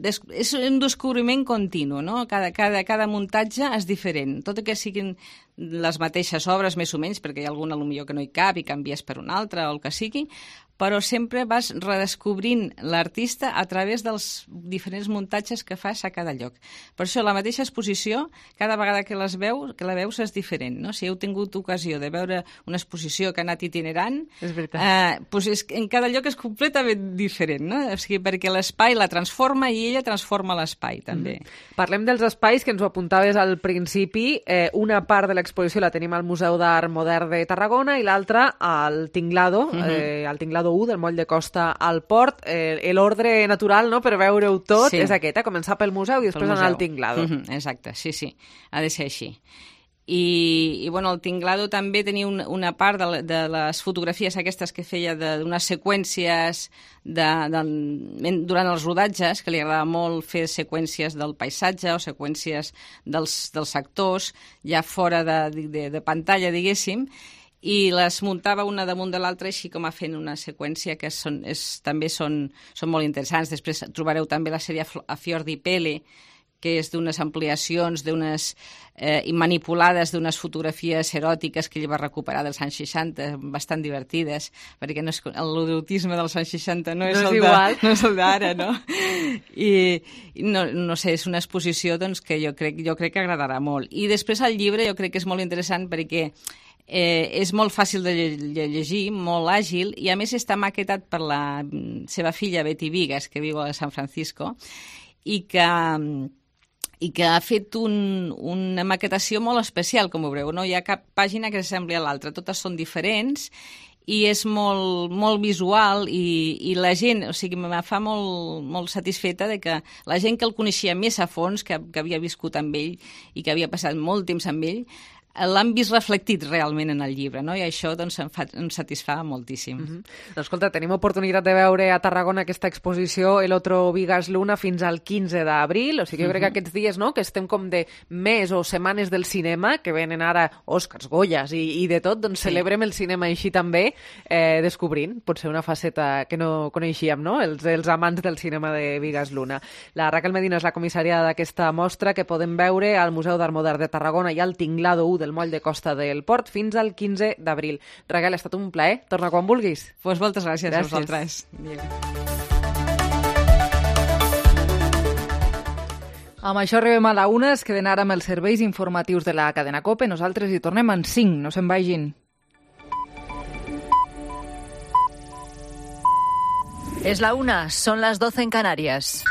des, és un descobriment continu, no? Cada, cada, cada muntatge és diferent, tot i que siguin les mateixes obres, més o menys, perquè hi ha alguna potser que no hi cap i canvies per una altra o el que sigui, però sempre vas redescobrint l'artista a través dels diferents muntatges que fas a cada lloc. Per això, la mateixa exposició, cada vegada que, les veus, que la veus és diferent, no? Si heu tingut ocasió de veure una exposició que ha anat itinerant, és veritat. Eh, doncs és, en cada lloc és completament diferent, no? O sigui, perquè l'espai la transforma i ella transforma l'espai, també. Mm-hmm. Parlem dels espais que ens ho apuntaves al principi. Eh, una part de l'exposició la tenim al Museu d'Art Modern de Tarragona i l'altra al Tinglado, mm-hmm. eh, al Tinglado u del moll de Costa al Port. Eh, l'ordre natural, no?, per veure-ho tot sí. és aquest, eh? Començar pel museu i després anar al Tinglado. Mm-hmm. Exacte, sí, sí, ha de ser així. I, i bueno, el Tinglado també tenia un, una part de, de les fotografies aquestes que feia d'unes seqüències de, de, durant els rodatges, que li agradava molt fer seqüències del paisatge o seqüències dels, dels actors ja fora de, de, de pantalla, diguéssim, i les muntava una damunt de l'altra així com a fent una seqüència que són, és, també són, són molt interessants. Després trobareu també la sèrie A Fior di Pelle, que és d'unes ampliacions, d'unes eh, manipulades d'unes fotografies eròtiques que ell va recuperar dels anys seixanta, bastant divertides, perquè no és, l'erotisme dels anys seixanta no és, no és el igual. De, no és el d'ara, no? I no, no sé, és una exposició doncs, que jo crec, jo crec que agradarà molt. I després el llibre jo crec que és molt interessant perquè Eh, és molt fàcil de llegir, molt àgil, i a més està maquetat per la seva filla Betty Vigas, que viu a San Francisco, i que, i que ha fet un, una maquetació molt especial, com veureu. No hi ha cap pàgina que s'assembli a l'altra, totes són diferents, i és molt, molt visual i, i la gent, o sigui, me fa molt, molt satisfeta de que la gent que el coneixia més a fons, que, que havia viscut amb ell i que havia passat molt temps amb ell, l'han vist reflectit realment en el llibre, no? I això doncs, em, fa, em satisfà moltíssim. Mm-hmm. Doncs, escolta, tenim oportunitat de veure a Tarragona aquesta exposició El otro Vigas Luna fins al quinze d'abril, o sigui, jo crec que aquests dies, no?, que estem com de mes o setmanes del cinema, que venen ara Oscars, Goyas i, i de tot, doncs sí. Celebrem el cinema així també, eh, descobrint, potser una faceta que no coneixíem, no?, els, els amants del cinema de Vigas Luna. La Raquel Medina és la comissària d'aquesta mostra que podem veure al Museu d'Art Modern de Tarragona i al Tinglado u del moll de Costa del Port fins al quinze d'abril. Raquel, ha estat un plaer. Torna quan vulguis. Pues moltes gràcies, gràcies. a vosaltres. Amb això arribem a la una, es queden ara amb els serveis informatius de la cadena COPE. Nosaltres hi tornem en cinc, no se'n vagin. Es la una, son las doce en Canarias.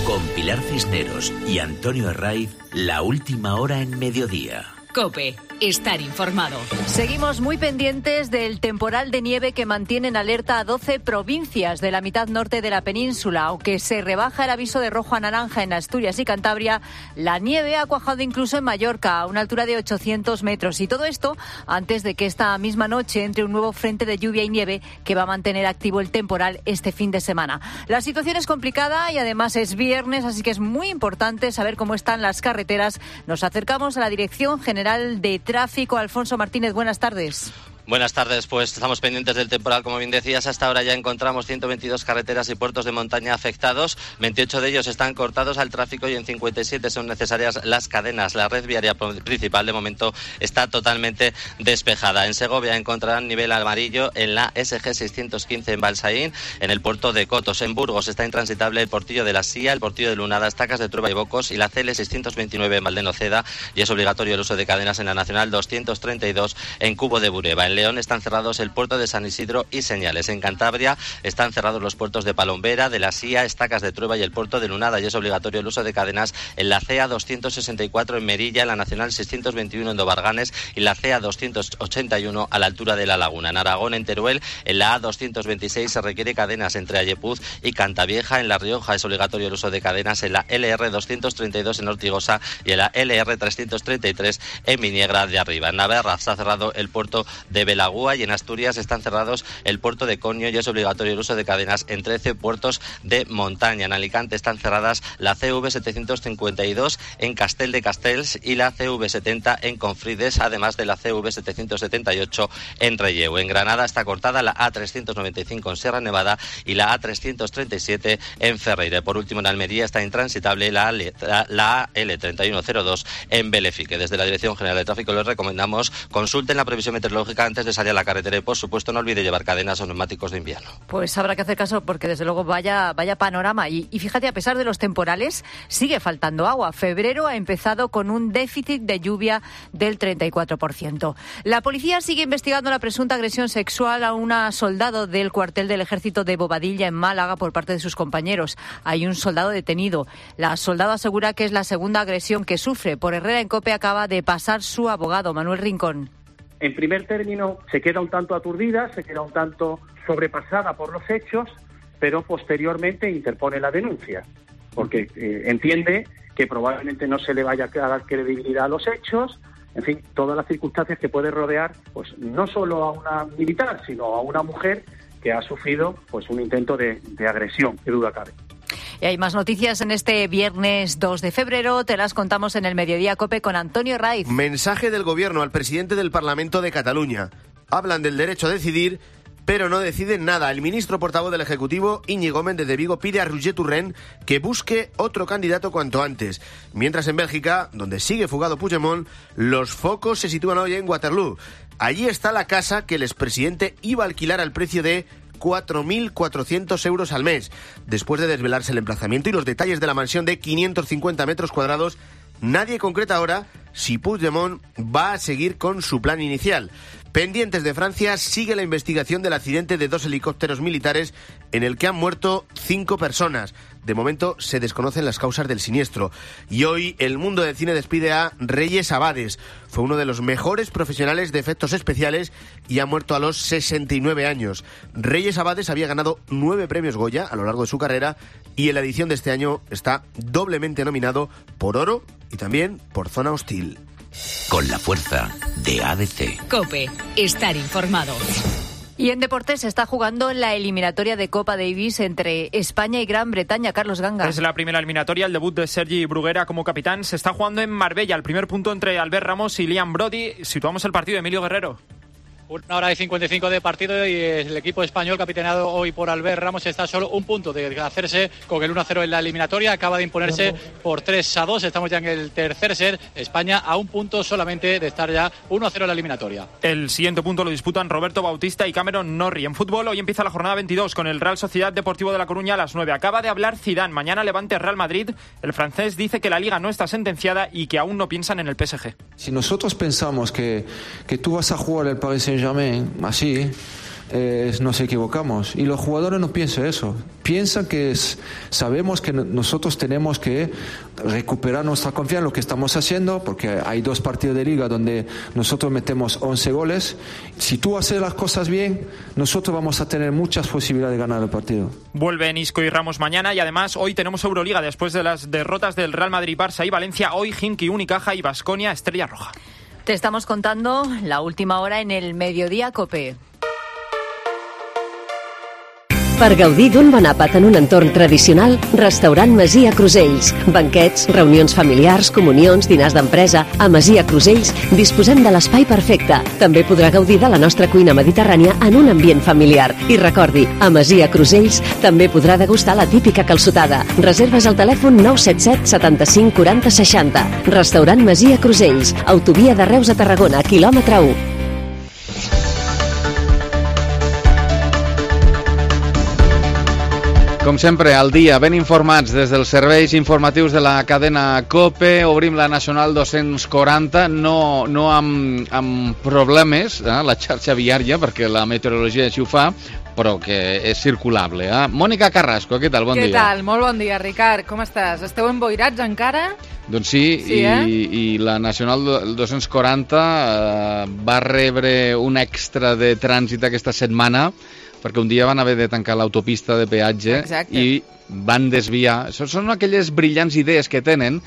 Con Pilar Cisneros y Antonio Herraiz, la última hora en mediodía. COPE, estar informado. Seguimos muy pendientes del temporal de nieve que mantiene en alerta a doce provincias de la mitad norte de la península. Aunque se rebaja el aviso de rojo a naranja en Asturias y Cantabria, la nieve ha cuajado incluso en Mallorca, a una altura de ochocientos metros. Y todo esto antes de que esta misma noche entre un nuevo frente de lluvia y nieve que va a mantener activo el temporal este fin de semana. La situación es complicada y además es viernes, así que es muy importante saber cómo están las carreteras. Nos acercamos a la Dirección General de Tráfico. Alfonso Martínez, buenas tardes. Buenas tardes, pues estamos pendientes del temporal, como bien decías. Hasta ahora ya encontramos ciento veintidós carreteras y puertos de montaña afectados. veintiocho de ellos están cortados al tráfico y en cincuenta y siete son necesarias las cadenas. La red viaria principal de momento está totalmente despejada. En Segovia encontrarán nivel amarillo en la S G seiscientos quince en Balsaín, en el puerto de Cotos. En Burgos está intransitable el portillo de la Sía, el portillo de Lunada, Estacas de Trueba y Bocos y la C L seiscientos veintinueve en Valdenoceda, y es obligatorio el uso de cadenas en la Nacional doscientos treinta y dos en Cubo de Bureba. En León están cerrados el puerto de San Isidro y Señales. En Cantabria están cerrados los puertos de Palombera, de la Sía, Estacas de Trueba y el puerto de Lunada, y es obligatorio el uso de cadenas en la C A doscientos sesenta y cuatro en Merilla, en la Nacional seiscientos veintiuno en Dobarganes y la C A doscientos ochenta y uno a la altura de La Laguna. En Aragón, en Teruel, en la A doscientos veintiséis se requiere cadenas entre Ayepuz y Cantavieja. En La Rioja es obligatorio el uso de cadenas en la L R doscientos treinta y dos en Ortigosa y en la L R trescientos treinta y tres en Viniegra de Arriba. En Navarra está cerrado el puerto de Belagúa y en Asturias están cerrados el puerto de Coño y es obligatorio el uso de cadenas en trece puertos de montaña. En Alicante están cerradas la C V setecientos cincuenta y dos en Castel de Castells y la C V setenta en Confrides, además de la C V setecientos setenta y ocho en Relleu. En Granada está cortada la A trescientos noventa y cinco en Sierra Nevada y la A trescientos treinta y siete en Ferreira. Por último, en Almería está intransitable la, la, la L treinta y uno cero dos en Belefique. Desde la Dirección General de Tráfico les recomendamos consulten la previsión meteorológica antes de salir a la carretera y, por supuesto, no olvide llevar cadenas o neumáticos de invierno. Pues habrá que hacer caso porque, desde luego, vaya, vaya panorama. Y, y fíjate, a pesar de los temporales, sigue faltando agua. Febrero ha empezado con un déficit de lluvia del treinta y cuatro por ciento. La policía sigue investigando la presunta agresión sexual a una soldado del cuartel del ejército de Bobadilla, en Málaga, por parte de sus compañeros. Hay un soldado detenido. La soldado asegura que es la segunda agresión que sufre. Por Herrera en COPE acaba de pasar su abogado, Manuel Rincón. En primer término, se queda un tanto aturdida, se queda un tanto sobrepasada por los hechos, pero posteriormente interpone la denuncia, porque eh, entiende que probablemente no se le vaya a dar credibilidad a los hechos, en fin, todas las circunstancias que puede rodear, pues no solo a una militar, sino a una mujer que ha sufrido pues un intento de, de agresión, qué duda cabe. Y hay más noticias en este viernes dos de febrero. Te las contamos en el Mediodía COPE con Antonio Raiz. Mensaje del Gobierno al presidente del Parlamento de Cataluña. Hablan del derecho a decidir, pero no deciden nada. El ministro portavoz del Ejecutivo, Íñigo Méndez de Vigo, pide a Roger Torrent que busque otro candidato cuanto antes. Mientras en Bélgica, donde sigue fugado Puigdemont, los focos se sitúan hoy en Waterloo. Allí está la casa que el expresidente iba a alquilar al precio de cuatro mil cuatrocientos euros al mes. Después de desvelarse el emplazamiento y los detalles de la mansión de quinientos cincuenta metros cuadrados, nadie concreta ahora si Puigdemont va a seguir con su plan inicial. Pendientes de Francia, sigue la investigación del accidente de dos helicópteros militares en el que han muerto cinco personas. De momento se desconocen las causas del siniestro. Y hoy el mundo del cine despide a Reyes Abades. Fue uno de los mejores profesionales de efectos especiales y ha muerto a los sesenta y nueve años. Reyes Abades había ganado nueve premios Goya a lo largo de su carrera y en la edición de este año está doblemente nominado por Oro y también por Zona Hostil. Con la fuerza de A D C. COPE. Estar informado. Y en deportes se está jugando la eliminatoria de Copa Davis entre España y Gran Bretaña. Carlos Ganga. Es la primera eliminatoria, el debut de Sergi Bruguera como capitán. Se está jugando en Marbella, el primer punto entre Albert Ramos y Liam Brody. Situamos el partido de Emilio Guerrero. Una hora y cincuenta y cinco de partido y el equipo español, capitaneado hoy por Albert Ramos, está solo un punto de hacerse con el uno a cero en la eliminatoria. Acaba de imponerse por tres a dos. Estamos ya en el tercer set. España a un punto solamente de estar ya uno a cero en la eliminatoria. El siguiente punto lo disputan Roberto Bautista y Cameron Norrie. En fútbol, hoy empieza la jornada veintidós con el Real Sociedad Deportivo de La Coruña a las nueve. Acaba de hablar Zidane. Mañana Levante Real Madrid. El francés dice que la Liga no está sentenciada y que aún no piensan en el P S G. Si nosotros pensamos que, que tú vas a jugar el Paris Saint-Germain así, eh, nos equivocamos. Y los jugadores no piensan eso. Piensan que es, sabemos que nosotros tenemos que recuperar nuestra confianza en lo que estamos haciendo, porque hay dos partidos de liga donde nosotros metemos once goles. Si tú haces las cosas bien, nosotros vamos a tener muchas posibilidades de ganar el partido. Vuelven Isco y Ramos mañana y además hoy tenemos Euroliga después de las derrotas del Real Madrid, Barça y Valencia. Hoy Khimki, Unicaja y Baskonia, Estrella Roja. Te estamos contando la última hora en el Mediodía COPE. Per gaudir d'un bon àpat en un entorn tradicional, Restaurant Masia Crusells. Banquets, reunions familiars, comunions, dinars d'empresa. A Masia Crusells disposem de l'espai perfecte. També podrà gaudir de la nostra cuina mediterrània en un ambient familiar. I recordi, a Masia Crusells també podrà degustar la típica calçotada. Reserves al telèfon nou set set setanta-cinc quaranta seixanta. Restaurant Masia Crusells, autovia de Reus a Tarragona, quilòmetre u. Com sempre, al dia, ben informats des dels serveis informatius de la cadena COPE. Obrim la Nacional dos-cents quaranta, no, no amb, amb problemes, eh, la xarxa viària, perquè la meteorologia així ho fa, però que és circulable. Eh? Mònica Carrasco, què tal? Bon què dia. Què tal? Molt bon dia, Ricard. Com estàs? Esteu emboirats encara? Doncs sí, sí i, eh? i la Nacional dos-cents quaranta eh, va rebre un extra de trànsit aquesta setmana, perquè un dia van haver de tancar l'autopista de peatge. Exacte. I van desviar. Són aquelles brillants idees que tenen.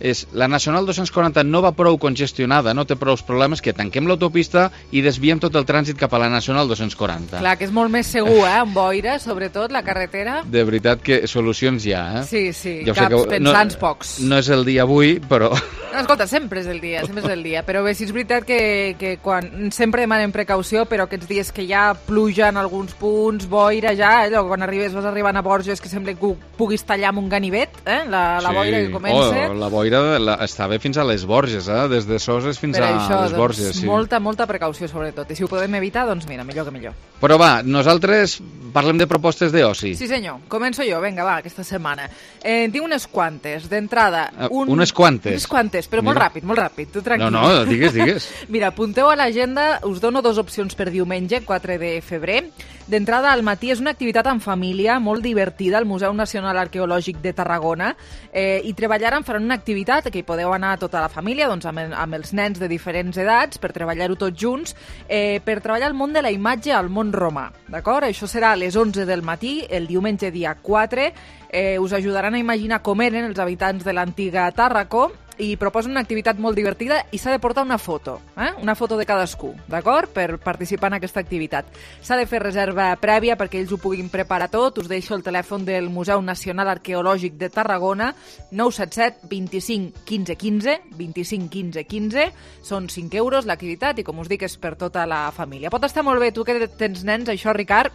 És, la Nacional dos-cents quaranta no va prou congestionada, no té prou problemes, que tanquem l'autopista i desviem tot el trànsit cap a la Nacional dos-cents quaranta. Clar, que és molt més segur, eh? Amb boira, sobretot, la carretera. De veritat que solucions hi ha, eh? Sí, sí, jo caps que, pensants no, pocs. No és el dia avui, però... No, escolta, sempre és el dia, sempre és el dia. Però bé, sí és veritat que, que quan sempre demanem precaució, però aquests dies que ja pluja en alguns punts, boira ja, allò, quan arribes, vas arribant a Borges, que sembla que puguis tallar amb un ganivet, eh? La, la sí. boira que comença. Oh, la boira la, estava fins a les Borges, eh? Des de Soses fins per a això, les Borges. Doncs, sí. Molta, molta precaució, sobretot. I si ho podem evitar, doncs mira, millor que millor. Però va, nosaltres parlem de propostes d'oci. Sí, senyor. Començo jo, vinga, va, aquesta setmana. Eh, en tinc unes quantes. D'entrada... Un... Uh, unes quantes? Unes quantes, però molt ràpid, molt ràpid. Tu tranquil. No, no, digues, digues. Mira, apunteu a l'agenda, us dono dues opcions per diumenge, quatre de febrer. D'entrada, al matí és una activitat en família molt divertida al Museu Nacional Arqueològic de Tarragona eh, i treballaran, faran una activitat que hi podeu anar tota la família, doncs amb, el, amb els nens de diferents edats, per treballar-ho tots junts, eh, per treballar el món de la imatge al món romà, d'acord? Això serà a les onze del matí, el diumenge dia quatre. Eh, us ajudaran a imaginar com eren els habitants de l'antiga Tàrraco i proposen una activitat molt divertida i s'ha de portar una foto, eh? Una foto de cadascú, d'acord? Per participar en aquesta activitat. S'ha de fer reserva prèvia perquè ells ho puguin preparar tot. Us deixo el telèfon del Museu Nacional Arqueològic de Tarragona, nou set set vint-i-cinc quinze quinze, vint-i-cinc quinze quinze. Són cinc euros l'activitat i, com us dic, és per tota la família. Pot estar molt bé, tu que tens nens, això, Ricard,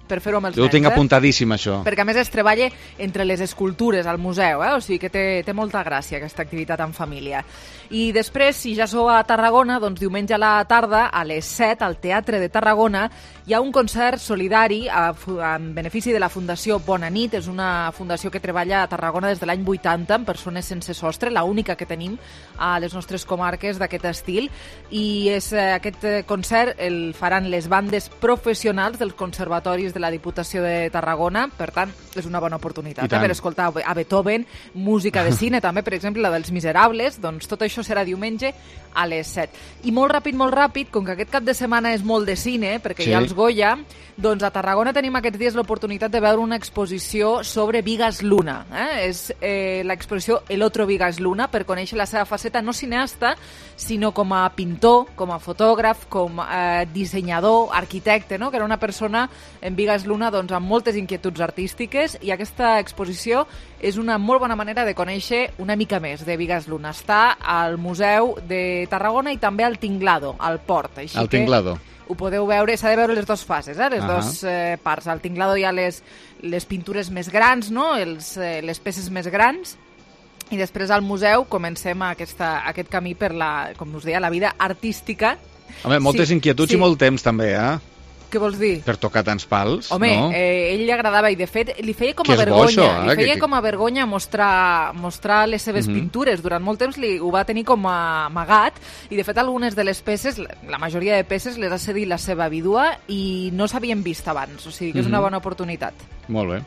per fer-ho amb els jo nens. ho tinc eh? apuntadíssim, això. Perquè, a més, es treballa entre les escultures al museu, eh? O sigui que té, té molta gràcia aquesta activitat en família. I després, si ja sou a Tarragona, doncs diumenge a la tarda, a les set, al Teatre de Tarragona, hi ha un concert solidari a, en benefici de la Fundació Bona Nit. És una fundació que treballa a Tarragona des de l'any vuitanta amb persones sense sostre, l'única que tenim a les nostres comarques d'aquest estil. I és, eh, aquest concert el faran les bandes professionals dels conservatoris de la Diputació de Tarragona. Per tant, és una bona oportunitat eh, per escoltar a Beethoven, música de cine també, per exemple, la dels Miserables. Doncs tot això serà diumenge a les set. I molt ràpid, molt ràpid, com que aquest cap de setmana és molt de cine, perquè sí. Hi ha els Goya, doncs a Tarragona tenim aquests dies l'oportunitat de veure una exposició sobre Vigas Luna. Eh? És eh, l'exposició El otro Vigas Luna, per conèixer la seva faceta no cineasta, sinó com a pintor, com a fotògraf, com a eh, dissenyador, arquitecte, no? Que era una persona en Vigas Luna doncs, amb moltes inquietuds artístiques, i aquesta exposició és una molt bona manera de conèixer una mica més de Vigas Luna. Està al Museu de Tarragona i també al Tinglado, al port. Així al Tinglado. Ho podeu veure, s'ha de veure les dues fases, eh? les uh -huh. dues eh, parts. Al Tinglado hi ha les, les pintures més grans, no? Els, eh, les peces més grans, i després al museu comencem aquesta, aquest camí per la, com us deia, la vida artística. Home, moltes sí, inquietuds sí. I molt temps també, eh? Què vols dir? Per tocar tants pals, Home, no? eh, ell li agradava, i de fet li feia com que a vergonya, això, eh? li feia que... com a vergonya mostrar, mostrar les seves uh -huh. pintures. Durant molt temps li, ho va tenir com a amagat, i de fet algunes de les peces, la majoria de peces les ha cedit la seva vídua i no s'havien vist abans, o sigui que és uh -huh. una bona oportunitat. Molt bé.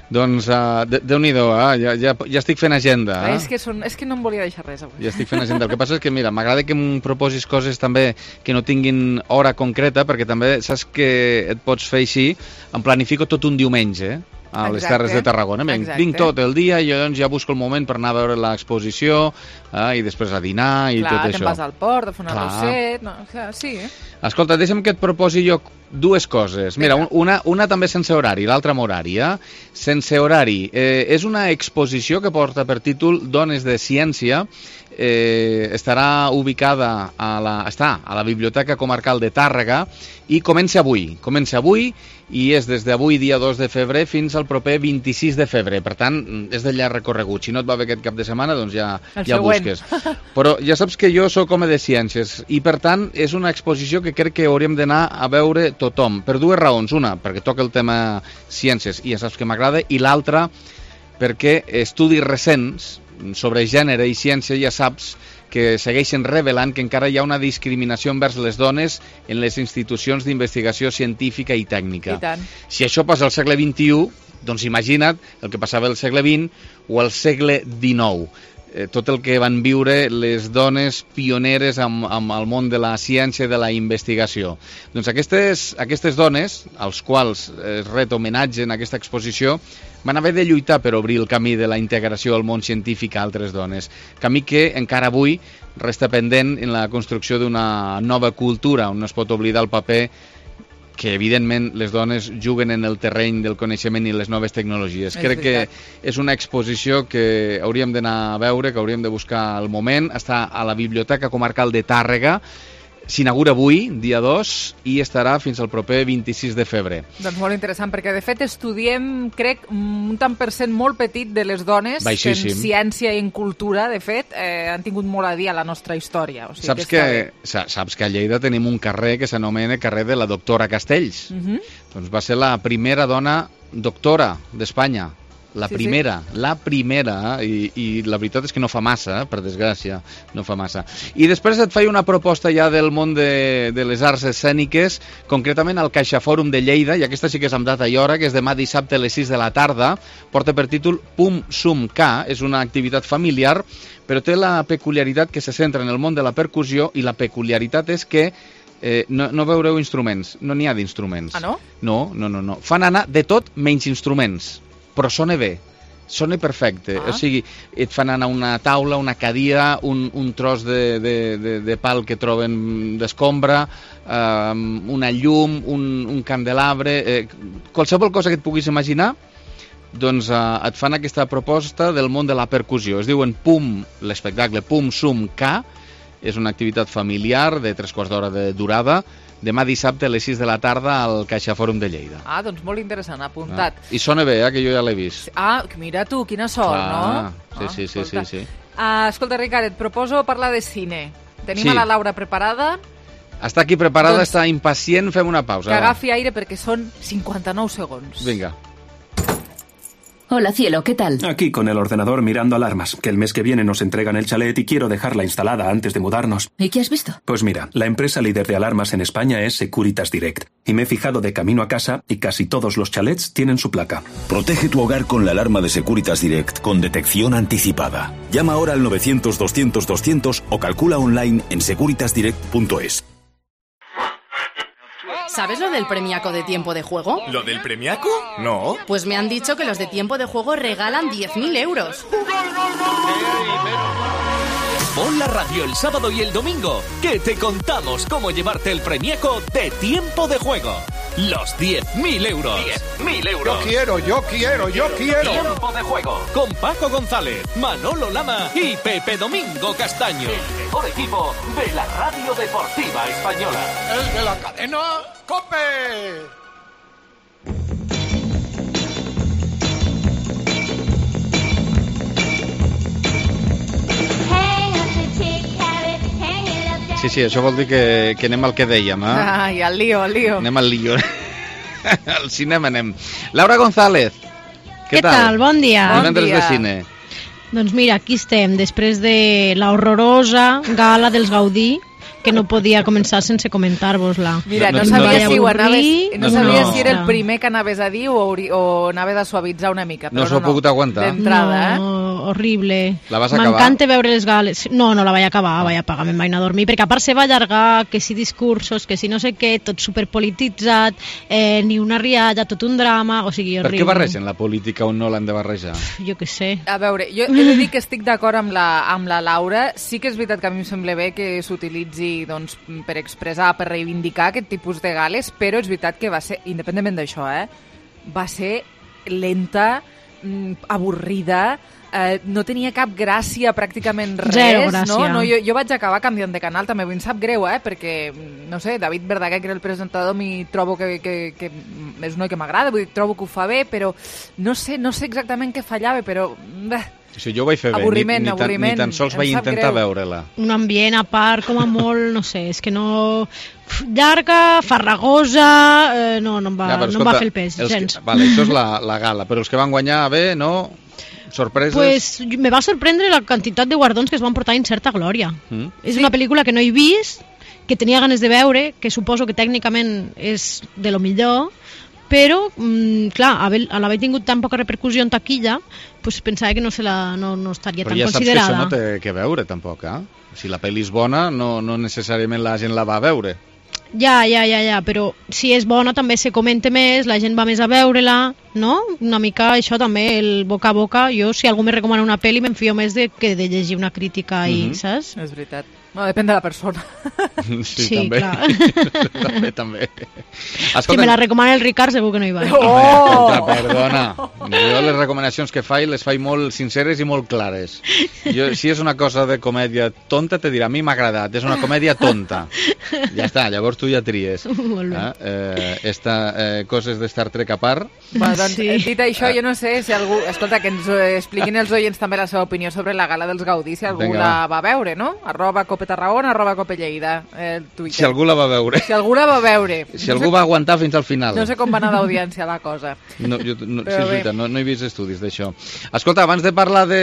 Doncs, uh, Déu-n'hi-do, eh? ja, ja, ja estic fent agenda. Eh? És, que són, és que no em volia deixar res avui. Ja estic fent agenda. El que passa és que, mira, m'agrada que em proposis coses també que no tinguin hora concreta, perquè també saps que et pots fer així, em planifico tot un diumenge, a les Terres de Tarragona. Vinc, vinc tot el dia i llavors ja busco el moment per anar a veure l'exposició eh, i després a dinar i clar, tot això. Clar, te'n vas al port a fer un arrosset... No, sí, eh? Escolta, deixa'm que et proposi jo dues coses. Mira, una, una també sense horari, l'altra amb horari. Eh? Sense horari. Eh, és una exposició que porta per títol Dones de Ciència. Eh, estarà ubicada a la, està a la Biblioteca Comarcal de Tàrrega i comença avui. Comença avui i és des d'avui, dia dos de febrer, fins al proper vint-i-sis de febrer. Per tant, és de llarg recorregut. Si no et va bé aquest cap de setmana, doncs ja, ja busques. Però ja saps que jo sóc home de ciències i, per tant, és una exposició que crec que hauríem d'anar a veure tothom. Per dues raons. Una, perquè toca el tema ciències i ja saps que m'agrada, i l'altra, perquè estudis recents sobre gènere i ciència ja saps que segueixen revelant que encara hi ha una discriminació envers les dones en les institucions d'investigació científica i tècnica. I tant. Si això passa al segle vint-i-u, doncs imagina't el que passava al segle vint o al segle dinou. Eh, tot el que van viure les dones pioneres amb, amb el món de la ciència i de la investigació. Doncs aquestes, aquestes dones, als quals es ret homenatge en aquesta exposició, van haver de lluitar per obrir el camí de la integració al món científic a altres dones. Camí que encara avui resta pendent en la construcció d'una nova cultura, on no es pot oblidar el paper que evidentment les dones juguen en el terreny del coneixement i les noves tecnologies. És Crec veritat. que és una exposició que hauríem d'anar a veure, que hauríem de buscar el moment. Està a la Biblioteca Comarcal de Tàrrega, s'inaugura avui, dia dos, i estarà fins al proper vint-i-sis de febrer. Doncs molt interessant, perquè de fet estudiem, crec, un tant per cent molt petit de les dones Baixíssim. que en ciència i en cultura, de fet, eh, han tingut molt a dir a la nostra història. O sigui, saps, que que, saps que a Lleida tenim un carrer que s'anomena carrer de la doctora Castells. Uh -huh. Doncs va ser la primera dona doctora d'Espanya. La sí, primera, sí. la primera, i, i la veritat és que no fa massa, eh, per desgràcia, no fa massa. I després et faig una proposta ja del món de, de les arts escèniques, concretament al CaixaFòrum de Lleida, i aquesta sí que és amb data i hora, que és demà dissabte a les sis de la tarda, porta per títol Pum Sum Ca, és una activitat familiar, però té la peculiaritat que se centra en el món de la percussió, i la peculiaritat és que Eh, no, no veureu instruments, no n'hi ha d'instruments. Ah, no? No, no, no, no. Fan anar de tot menys instruments, però sona bé, sona perfecte. Ah. O sigui, et fan anar una taula, una cadira, un, un tros de, de, de, de pal que troben d'escombra, eh, una llum, un, un candelabre, eh, qualsevol cosa que et puguis imaginar, doncs eh, et fan aquesta proposta del món de la percussió. Es diuen Pum, l'espectacle Pum Sum Ca, és una activitat familiar de tres quarts d'hora de durada, demà dissabte a les sis de la tarda al CaixaFòrum de Lleida. Ah, doncs molt interessant, apuntat. Ah. I sona bé, eh, que jo ja l'he vist. Ah, mira tu, quina sort, ah, no? Sí, sí, sí, sí, sí. Uh, escolta, Ricard, et proposo parlar de cine. Tenim sí. a la Laura preparada. Està aquí preparada, doncs, està impacient, fem una pausa. Que agafi aire perquè són cinquanta-nou segons. Vinga. Hola, cielo, ¿qué tal? Aquí con el ordenador mirando alarmas, que el mes que viene nos entregan el chalet y quiero dejarla instalada antes de mudarnos. ¿Y qué has visto? Pues mira, la empresa líder de alarmas en España es Securitas Direct. Y me he fijado de camino a casa y casi todos los chalets tienen su placa. Protege tu hogar con la alarma de Securitas Direct con detección anticipada. Llama ahora al novecientos doscientos doscientos o calcula online en securitas direct punto es. ¿Sabes lo del premiaco de Tiempo de Juego? ¿Lo del premiaco? No. Pues me han dicho que los de Tiempo de Juego regalan diez mil euros. Pon la radio el sábado y el domingo, que te contamos cómo llevarte el premiaco de Tiempo de Juego. Los diez mil euros. diez mil euros. Yo quiero, yo quiero, yo quiero. Tiempo de Juego. Con Paco González, Manolo Lama y Pepe Domingo Castaño. El mejor equipo de la radio deportiva española. ¡Es de la cadena COPE! Sí, sí, això vol dir que, que anem al que dèiem, eh? Ai, al lío, al lío. Anem al lío. Al cinema anem. Laura González, què, què tal? tal? Bon dia. Divendres bon dia. de cine. Doncs mira, aquí estem, després de la horrorosa gala dels Gaudí, que no podia començar sense comentar-vos-la. Mira, no, no, no sabia, no, si, ho anaves, no sabia no. si era el primer que anaves a dir o, o anaves a suavitzar una mica. Però no s'ho no, ha pogut aguantar. D'entrada, no, eh? horrible. La vas acabar? M'encanta veure les gales. No, no la vaig acabar, ah. vaig apagar, me'n vaig anar a dormir, perquè a part se va allargar, que si discursos, que si no sé què, tot superpolititzat, eh, ni una rialla, tot un drama, o sigui, horrible. Per què barregen la política on no l'han de barrejar? Jo què sé. A veure, jo he de dir que estic d'acord amb la, amb la Laura. Sí que és veritat que a mi em sembla bé que s'utilitzi doncs, per expressar, per reivindicar aquest tipus de gales, però és veritat que va ser, independentment d'això, eh, va ser lenta, avorrida, eh, no tenia cap gràcia, pràcticament res. Zero gràcia. No? No, jo, jo vaig acabar canviant de canal, també em sap greu, eh, perquè, no sé, David Verdaguer, que era el presentador, mi trobo que, que, que és un noi que m'agrada, vull dir, trobo que ho fa bé, però no sé, no sé exactament què fallava, però... Bé. Sí, jo ho vaig fer bé, avorriment, ni, ni, avorriment. Tan, ni tan sols vaig intentar veure-la. Un ambient a part, com a molt, no sé, és que no... Llarga, farragosa, eh, no, no em va, ja, no escolta, em va fer el pes, gens. Que, vale, això és la, la gala, però els que van guanyar bé, no? Sorpreses? Pues me va sorprendre la quantitat de guardons que es van portar en certa glòria. Mm. És sí. Una pel·lícula que no he vist, que tenia ganes de veure, que suposo que tècnicament és de lo millor, però, mm, clar, a l'haver tingut tan poca repercussió en taquilla, pues pensava que no, se la, no, no estaria però tan ja considerada. Però ja saps que això no té que veure, tampoc, eh? Si la pel·li és bona, no, no necessàriament la gent la va veure. Ja, ja, ja, ja, però si és bona també se comenta més, la gent va més a veure-la, no? Una mica això també, el boca a boca. Jo, si algú me recomana una pel·li, m'enfio més de, que de llegir una crítica i, mm-hmm. saps? És veritat. No, depèn de la persona. Sí, sí també. Clar. també, també. Escolta, si me la recomana el Ricard, segur que no hi va. Oh! Escolta, perdona. Jo les recomanacions que faig les faig molt sinceres i molt clares. Jo, si és una cosa de comèdia tonta, te dirà, a mi m'ha agradat, és una comèdia tonta. Ja està, llavors tu ja tries. Molt bé. Eh? Eh, esta, eh, coses de Star Trek a part. Va, doncs, sí. Dit això, jo no sé si algú... Escolta, que ens expliquin els oients també la seva opinió sobre la gala dels Gaudí, si algú Venga, la va veure, no? Arroba Cope Tarragona, arroba Cope Lleida, el Twitter. Si algú la va veure. Si algú la va veure. Si no algú sé, va aguantar fins al final. No sé com va anar d'audiència la cosa. No, jo, no, sí, és veritat, no, no he vist estudis d'això. Escolta, abans de parlar de,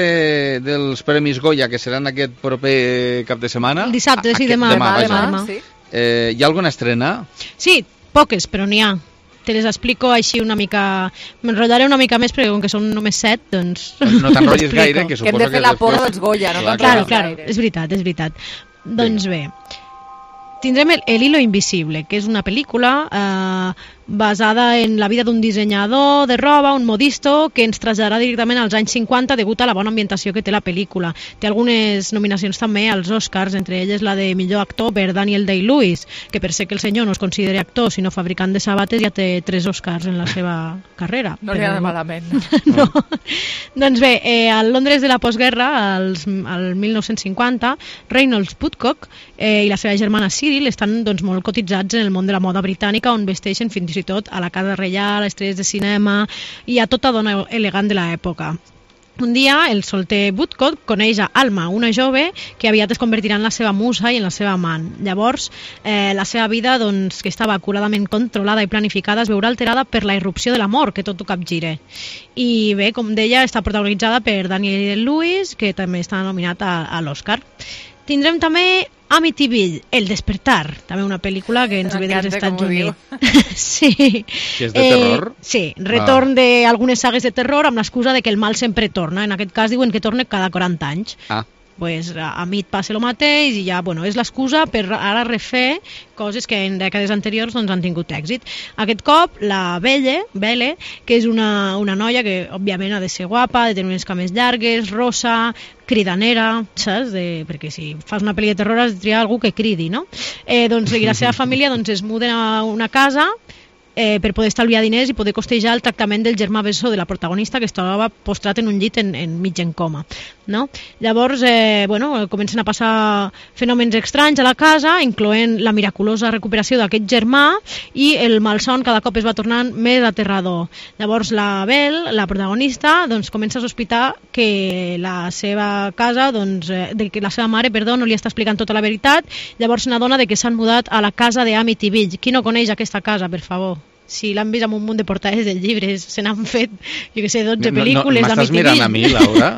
dels Premis Goya, que seran aquest proper cap de setmana... El dissabte, sí, demà. Demà, demà, demà, sí. Eh, hi ha alguna estrena? Sí, poques, però n'hi ha. Te les explico així una mica... M'enrotllaré una mica més, perquè com que són només set, doncs... No, no t'enrotllis gaire, que suposo que... Que hem de fer la porra dels Goya, no clar, clar, clar, és veritat, és veritat. Doncs bé, tindrem el, el Hilo Invisible, que és una pel·lícula eh, basada en la vida d'un dissenyador de roba, un modisto, que ens traslladarà directament als anys cinquanta degut a la bona ambientació que té la pel·lícula. Té algunes nominacions també als Oscars, entre elles la de millor actor per Daniel Day-Lewis, que per ser que el senyor no es consideri actor, sinó fabricant de sabates, ja té tres Oscars en la seva carrera. No li ha anat malament. No. Doncs bé, eh, al Londres de la postguerra, als, al mil nou-cents cinquanta, Reynolds Woodcock eh, i la seva germana Cyril estan doncs, molt cotitzats en el món de la moda britànica, on vesteixen fins i tot a la casa reial, a estrelles de cinema i a tota dona elegant de l'època. Un dia, el solter Woodcock coneix a Alma, una jove que aviat es convertirà en la seva musa i en la seva amant. Llavors, eh, la seva vida, doncs, que estava acuradament controlada i planificada, es veurà alterada per la irrupció de l'amor, que tot ho capgira. I bé, com deia, està protagonitzada per Daniel Day-Lewis, que també està nominat a, a l'Oscar. Tindrem també Amityville, El despertar, també una pel·lícula que ens ve dels Estats Units. Sí. Que és de terror? Eh, sí, retorn ah. d'algunes sagues de terror amb l'excusa de que el mal sempre torna. En aquest cas diuen que torna cada quaranta anys. Ah. Pues a mi et passa el mateix i ja, bueno, és l'excusa per ara refer coses que en dècades anteriors doncs, han tingut èxit. Aquest cop, la Belle, Belle, que és una, una noia que, òbviament, ha de ser guapa, de tenir unes cames llargues, rosa, cridanera, saps? De, perquè si fas una pel·li de terror has de triar algú que cridi, no? Eh, doncs, i la seva família doncs, es muden a una casa eh, per poder estalviar diners i poder costejar el tractament del germà bessó de la protagonista, que es trobava postrat en un llit en, en mig en coma. No? Llavors, eh, bueno, comencen a passar fenòmens estranys a la casa, incloent la miraculosa recuperació d'aquest germà i el malson cada cop es va tornant més aterrador. Llavors la Belle, la protagonista, doncs, comença a sospitar que la seva casa, doncs, eh, de que la seva mare, perdó, no li està explicant tota la veritat. Llavors n'adona de que s'han mudat a la casa de Amityville. Qui no coneix aquesta casa, per favor? Si l'han vist amb un munt de portades de llibres, se n'han fet, jo què sé, dotze pel·lícules no, no, d'Amityville. M'estàs mirant a mi, Laura?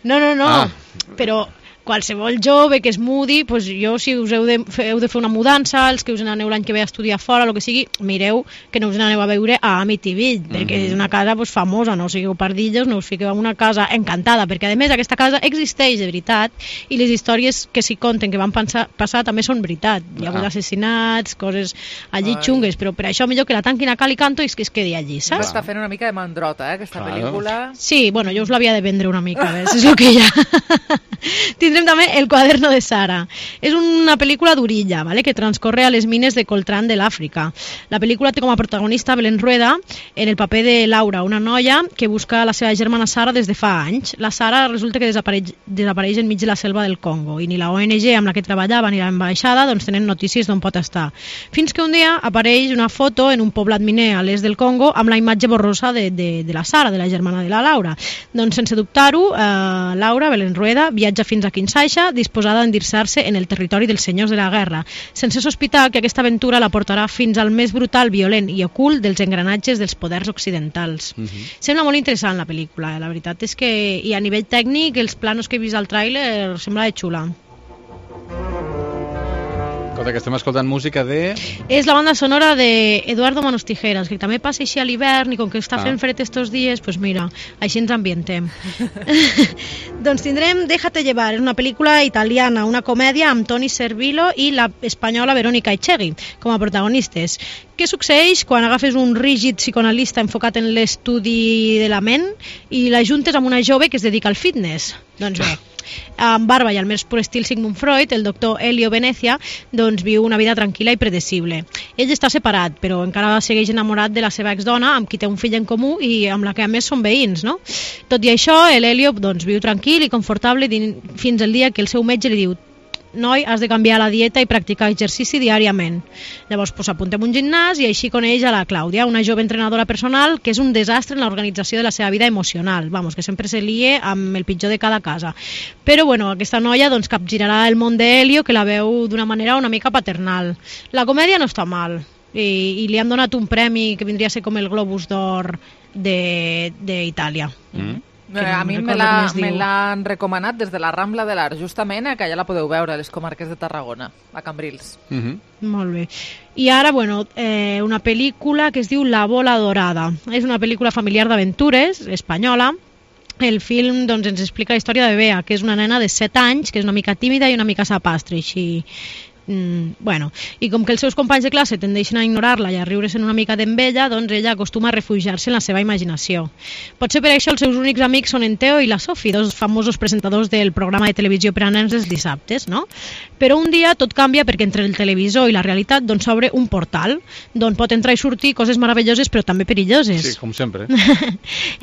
No, no, no, ah. Però qualsevol jove que es mudi, doncs jo, si us heu de, heu de fer una mudança, els que us n'aneu l'any que ve a estudiar fora, el que sigui, mireu que no us n'aneu a veure a Amityville, mm-hmm. perquè és una casa pues, famosa, no sigueu pardillos, no us fiqueu en una casa encantada, perquè a més aquesta casa existeix de veritat i les històries que s'hi conten que van pensar, passar també són veritat. Hi ha hagut ah. assassinats, coses allí Ai. xungues, però per això millor que la tanquin a cal i canto i que es quedi allí, saps? Està fent una mica de mandrota, eh, aquesta claro. pel·lícula. Sí, bueno, jo us l'havia de vendre una mica, ves? És el que hi ha. Tindrem també El cuaderno de Sara. És una pel·lícula d'orilla, ¿vale? que transcorre a les mines de Coltrán de l'Àfrica. La pel·lícula té com a protagonista Belén Rueda en el paper de Laura, una noia que busca la seva germana Sara des de fa anys. La Sara resulta que desapareix, desapareix enmig de la selva del Congo i ni la O N G amb la que treballava ni l'ambaixada doncs tenen notícies d'on pot estar. Fins que un dia apareix una foto en un poblat miner a l'est del Congo amb la imatge borrosa de, de, de la Sara, de la germana de la Laura. Doncs sense dubtar-ho, eh, Laura, Belén Rueda, viatja fins a Kinshasa disposada a endinsar-se en el territori dels senyors de la guerra, sense sospitar que aquesta aventura la portarà fins al més brutal, violent i ocult dels engranatges dels poders occidentals. Uh-huh. Sembla molt interessant la pel·lícula, eh? La veritat és que i a nivell tècnic els planos que he vist al tràiler sembla de xula. Escolta, que estem escoltant música de... És la banda sonora de Eduardo Manos Tijeras, que també passa així a l'hivern i com que està fent ah. fred estos dies, doncs pues mira, així ens ambientem. Doncs tindrem Déjate llevar, és una pel·lícula italiana, una comèdia amb Toni Servillo i la espanyola Verónica Echegui com a protagonistes. Què succeeix quan agafes un rígid psicoanalista enfocat en l'estudi de la ment i l'ajuntes amb una jove que es dedica al fitness? Doncs bé, amb barba i al més pur estil Sigmund Freud, el doctor Elio Venezia doncs viu una vida tranquil·la i predecible. Ell està separat, però encara segueix enamorat de la seva exdona, amb qui té un fill en comú i amb la que a més són veïns, no? Tot i això, l'Elio doncs, viu tranquil i confortable fins al dia que el seu metge li diu: noi, has de canviar la dieta i practicar exercici diàriament. Llavors pues, apuntem un gimnàs i així coneix a la Clàudia, una jove entrenadora personal que és un desastre en l'organització de la seva vida emocional, vamos, que sempre se lie amb el pitjor de cada casa. Però bueno, aquesta noia doncs, capgirarà el món d'Helio, que la veu d'una manera una mica paternal. La comèdia no està mal i, i li han donat un premi que vindria a ser com el Globus d'Or d'Itàlia. Mm. A mi me l'han recomanat des de la Rambla de l'Art, justament, que ja la podeu veure a les comarques de Tarragona, a Cambrils. Uh-huh. Molt bé. I ara, bueno, eh, una pel·lícula que es diu La bola dorada. És una pel·lícula familiar d'aventures, espanyola. El film doncs, ens explica la història de Bea, que és una nena de set anys, que és una mica tímida i una mica sapastre, així... Mm, bueno, i com que els seus companys de classe tendeixen a ignorar-la i a riure's una mica d'embella, doncs ella acostuma a refugiar-se en la seva imaginació. Potser per això els seus únics amics són en Teo i la Sophie, dos famosos presentadors del programa de televisió per a nens els dissabtes, no? Però un dia tot canvia perquè entre el televisor i la realitat doncs s'obre un portal d'on pot entrar i sortir coses meravelloses però també perilloses. Sí, com sempre.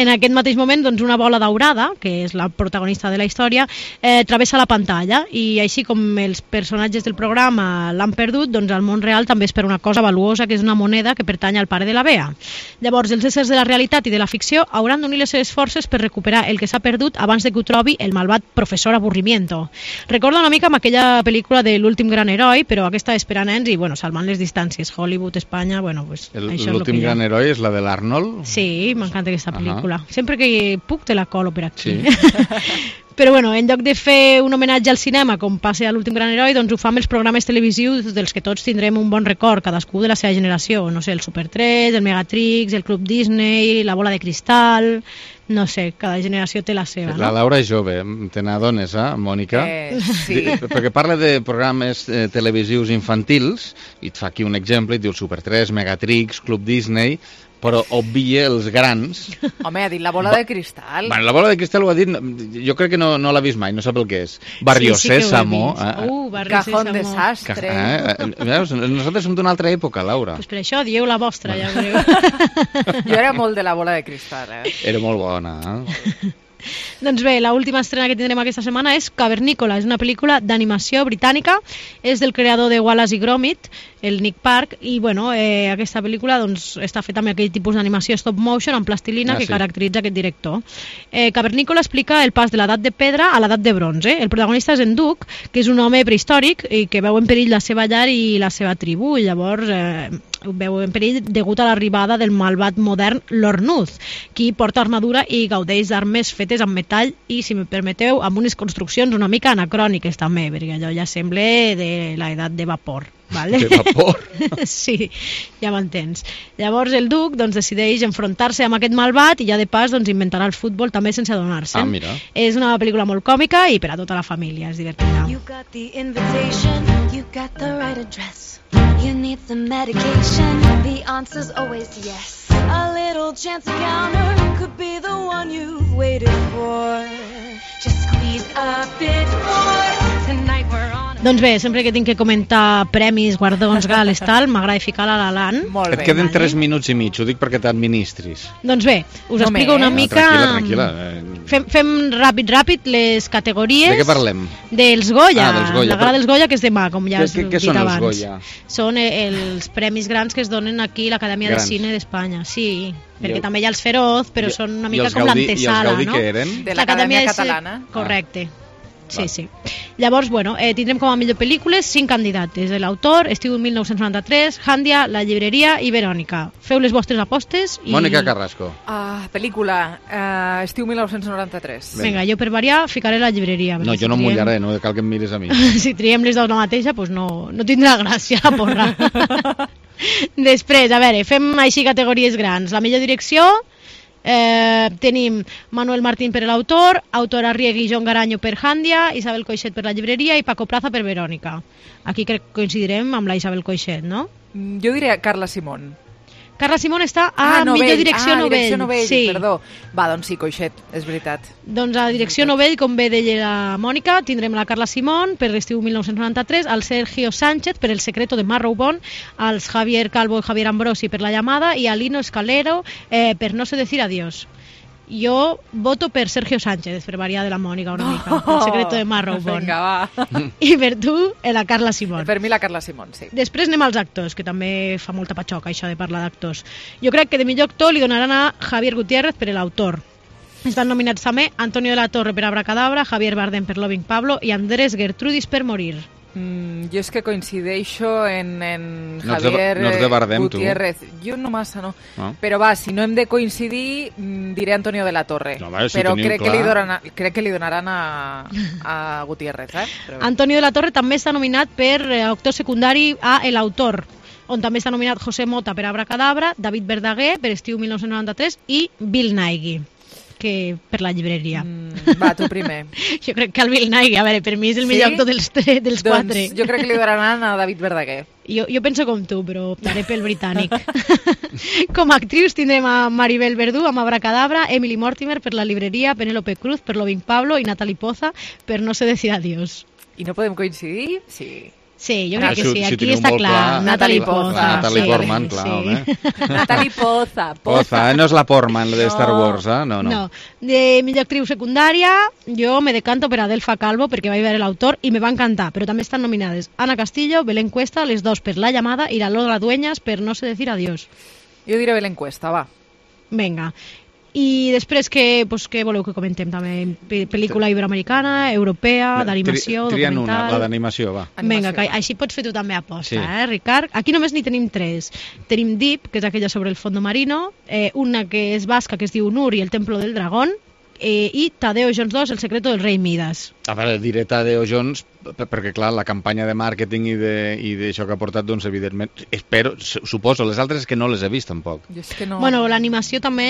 En aquest mateix moment doncs una bola daurada, que és la protagonista de la història, eh, travessa la pantalla i així com els personatges del programa l'han perdut, doncs al món real també és per una cosa valuosa que és una moneda que pertany al pare de la Bea. Llavors els éssers de la realitat i de la ficció hauran d'unir les seves forces per recuperar el que s'ha perdut abans de que ho trobi el malvat professor Avorrimiento. Recorda una mica amb aquella pel·lícula de L'últim gran heroi, però aquesta és per a nens i bueno, salvant les distàncies. Hollywood, Espanya, bueno, pues el, això és el que L'últim gran heroi és la de l'Arnold? Sí, m'encanta aquesta pel·lícula. Uh-huh. Sempre que puc te la colo per aquí. Sí. Però bueno, en lloc de fer un homenatge al cinema com passa a L'últim gran heroi, doncs ho fa amb els programes televisius dels que tots tindrem un bon record, cadascú de la seva generació, no sé, el Super tres, el Megatrix, el Club Disney, la bola de cristal, no sé, cada generació té la seva, no? La Laura és jove, te n'adones, eh, Mònica? Eh, sí. Perquè parla de programes eh, televisius infantils, i et fa aquí un exemple, et diu Super tres, Megatrix, Club Disney, però obvia els grans. Home, ha dit la bola de cristal. Bueno, la bola de cristal ho ha dit, jo crec que no, no l'ha vist mai, no sap el que és. Barrio sí, sí Sésamo. Eh? Uh, Barrio Cajón Sésamo. Desastre. Eh? Eh, veus? Nosaltres som d'una altra època, Laura. Pues per això dieu la vostra, ja veureu. Jo era molt de la bola de cristal, eh? Era molt bona, eh? Doncs bé, l'última estrena que tindrem aquesta setmana és Cavernícola, és una pel·lícula d'animació britànica, és del creador de Wallace i Gromit, el Nick Park, i bueno, eh, aquesta pel·lícula doncs, està feta amb aquell tipus d'animació stop motion amb plastilina ah, que sí. caracteritza aquest director. Eh, Cavernícola explica el pas de l'edat de pedra a l'edat de bronze. El protagonista és en Duke, que és un home prehistòric i que veu en perill la seva llar i la seva tribu, i llavors eh, veu en perill degut a l'arribada del malvat modern l'Ornuz, qui porta armadura i gaudeix d'armes fetes amb metall i, si me permeteu, amb unes construccions una mica anacròniques també, perquè allò ja sembla de l'edat de vapor. Vale? De vapor? Sí, ja m'entens. Llavors el duc doncs, decideix enfrontar-se amb aquest malvat i ja de pas doncs, inventarà el futbol també sense adonar-se. Ah, mira. És una pel·lícula molt còmica i per a tota la família, és divertida. You got the invitation, you got the right address. You need some medication, the answer's always yes. A little chance encounter could be the one you've waited for. Just squeeze a bit more, tonight we're on. Doncs bé, sempre que tinc que comentar premis, guardons, gales, tal, m'agrada ficar la La Land. Et queden tres minuts i mig, ho dic perquè t'administris. Doncs bé, us explico una mica... Tranquil·la, tranquil·la. Fem, fem ràpid, ràpid les categories... De què parlem? Dels Goya. Ah, dels Goya. La gala dels Goya, que és demà, com ja has dit abans. Què són els Goya? Són els premis grans que es donen aquí a l'Acadèmia de Cine d'Espanya. Sí, perquè també hi ha els Feroz, però són una mica com l'antesala, no? I els Gaudí què eren? De l'Acadèmia Catalana. Correcte. Sí, sí. Llavors, bueno, eh, tindrem com a millor pel·lícules cinc candidates. L'autor, Estiu mil nou-cents noranta-tres, Jàndia, La llibreria i Verònica. Feu les vostres apostes i... Mònica Carrasco. Ah, pel·lícula, uh, Estiu mil nou-cents noranta-tres. Vinga, jo per variar ficaré La llibreria. No, jo no em mullaré, no cal que em miris a mi. Si triem les dues la mateixa, doncs no, no tindrà gràcia la porra. Després, a veure, fem així categories grans. La millor direcció... Eh, tenim Manuel Martín per l'autor, Autor Arriegui i Joan Garanyo per Jàndia, Isabel Coixet per La llibreria i Paco Plaza per Verònica. Aquí crec que coincidirem amb la Isabel Coixet, no? Jo diria Carla Simón. Carla Simón està a ah, millor direcció ah, novell. direcció novell, sí. Perdó. Va, doncs sí, Coixet, és veritat. Doncs a direcció novell, com bé deia la Mònica, tindrem la Carla Simón per l'estiu mil nou-cents noranta-tres, el Sergio Sánchez per El secreto de Marrowbone, els Javier Calvo i Javier Ambrosi per La llamada i a Lino Escalero eh, per No sé decir adiós. Jo voto per Sergio Sánchez, per variar de la Mònica una mica. No, El secreto de Marrowbone. Vinga, va. I per tu, la Carla Simón. Per mi la Carla Simón, sí. Després anem als actors, que també fa molta patxoca això de parlar d'actors. Jo crec que de millor actor li donaran a Javier Gutiérrez per l'autor. Estan nominats també Antonio de la Torre per Abracadabra, Javier Bardem per Loving Pablo i Andrés Gertrudis per Morir. Mm, jo és que coincideixo en, en no Javier no de Bardem, Gutiérrez. Tu. Jo no massa, no. no. Però va, si no hem de coincidir, diré Antonio de la Torre. No, va, si però crec clar. que, li donaran, crec que li donaran a, a Gutiérrez. Eh? Però... Antonio de la Torre també està nominat per actor secundari a El Autor, on també està nominat José Mota per Abracadabra, David Verdaguer per Estiu mil nou-cents noranta-tres i Bill Nighy que per La llibreria. Mm, va, tu primer. Jo crec que el Bill Nighy, a veure, per mi és el millor sí? actor dels, dels doncs, quatre. Jo crec que li donaran a David Verdaguer. Jo, jo penso com tu, però optaré pel britànic. Com a actrius tindrem a Maribel Verdú amb Abracadabra, Emily Mortimer per La llibreria, Penélope Cruz per Loving Pablo i Natalie Poza per No sé decir adiós. I no podem coincidir? Sí. Sí, jo crec ah, que sí, si, aquí si està clar. clar. Natalie Poza. La Natalie sí, Portman, clar, sí. home. Natalie Poza. Poza, eh? No és la Portman, la de no. Star Wars, eh? No, no. No. De millor actriu secundària, jo me decanto per Adelfa Calvo, perquè vaig veure l'autor i me va encantar, però també estan nominades Ana Castillo, Belén Cuesta, les dos per La llamada i la Lola Dueñas per No sé decir adiós. Jo diré Belén Cuesta, va. Vinga. I després, què, pues, què voleu que comentem també? Pel·lícula iberoamericana, europea, d'animació, tri, documental... Trien una, la d'animació, va. Vinga, que així pots fer tu també aposta, sí. eh, Ricard? Aquí només n'hi tenim tres. Tenim Deep, que és aquella sobre el fondo marino, eh, una que és basca, que es diu Nur i el templo del dragón, eh, i Tadeo Jones dos, El secreto del rei Midas. A veure, diré Tadeo Jones perquè, clar, la campanya de màrqueting i d'això que ha portat, doncs, evidentment, espero, suposo, les altres que no les he vist, tampoc. Jo és que no... Bueno, l'animació també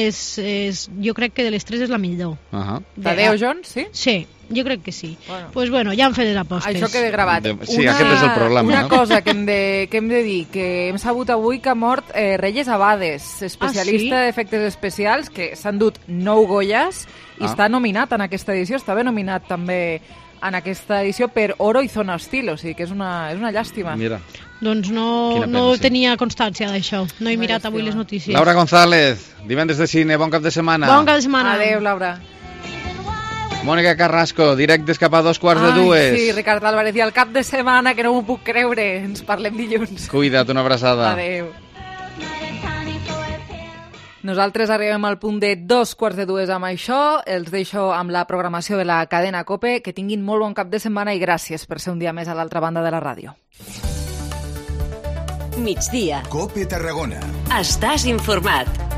és, és... Jo crec que de les tres és la millor. Uh -huh. Tadeo Jones, sí? Sí, jo crec que sí. Doncs pues bueno, ja hem fet les apostes. Això queda gravat. De... Sí, una, aquest és el problema. Una no? cosa que hem, de, que hem de dir, que hem sabut avui que ha mort eh, Reyes Abades, especialista ah, sí? d'efectes especials, que s'han dut nou Goyas i ah. està nominat en aquesta edició, està ben nominat també en aquesta edició per Oro i Zona Hostil, o sigui que és una, és una llàstima. Mira. Doncs no, pena, no sí. tenia constància d'això, no he mirat avui les notícies. Laura González, divendres de cine, bon cap de setmana. Bon cap de setmana. Adéu, Laura. Mònica Carrasco, directes cap a dos quarts Ai, de dues. Sí, Ricard Álvarez, i el cap de setmana, que no m'ho puc creure, ens parlem dilluns. Cuida't, una abraçada. Adéu. Nosaltres arribem al punt de dos quarts de dues amb això. Els deixo amb la programació de la cadena COPE. Que tinguin molt bon cap de setmana i gràcies per ser un dia més a l'altra banda de la ràdio. migdia. Cope Tarragona. Estàs informat.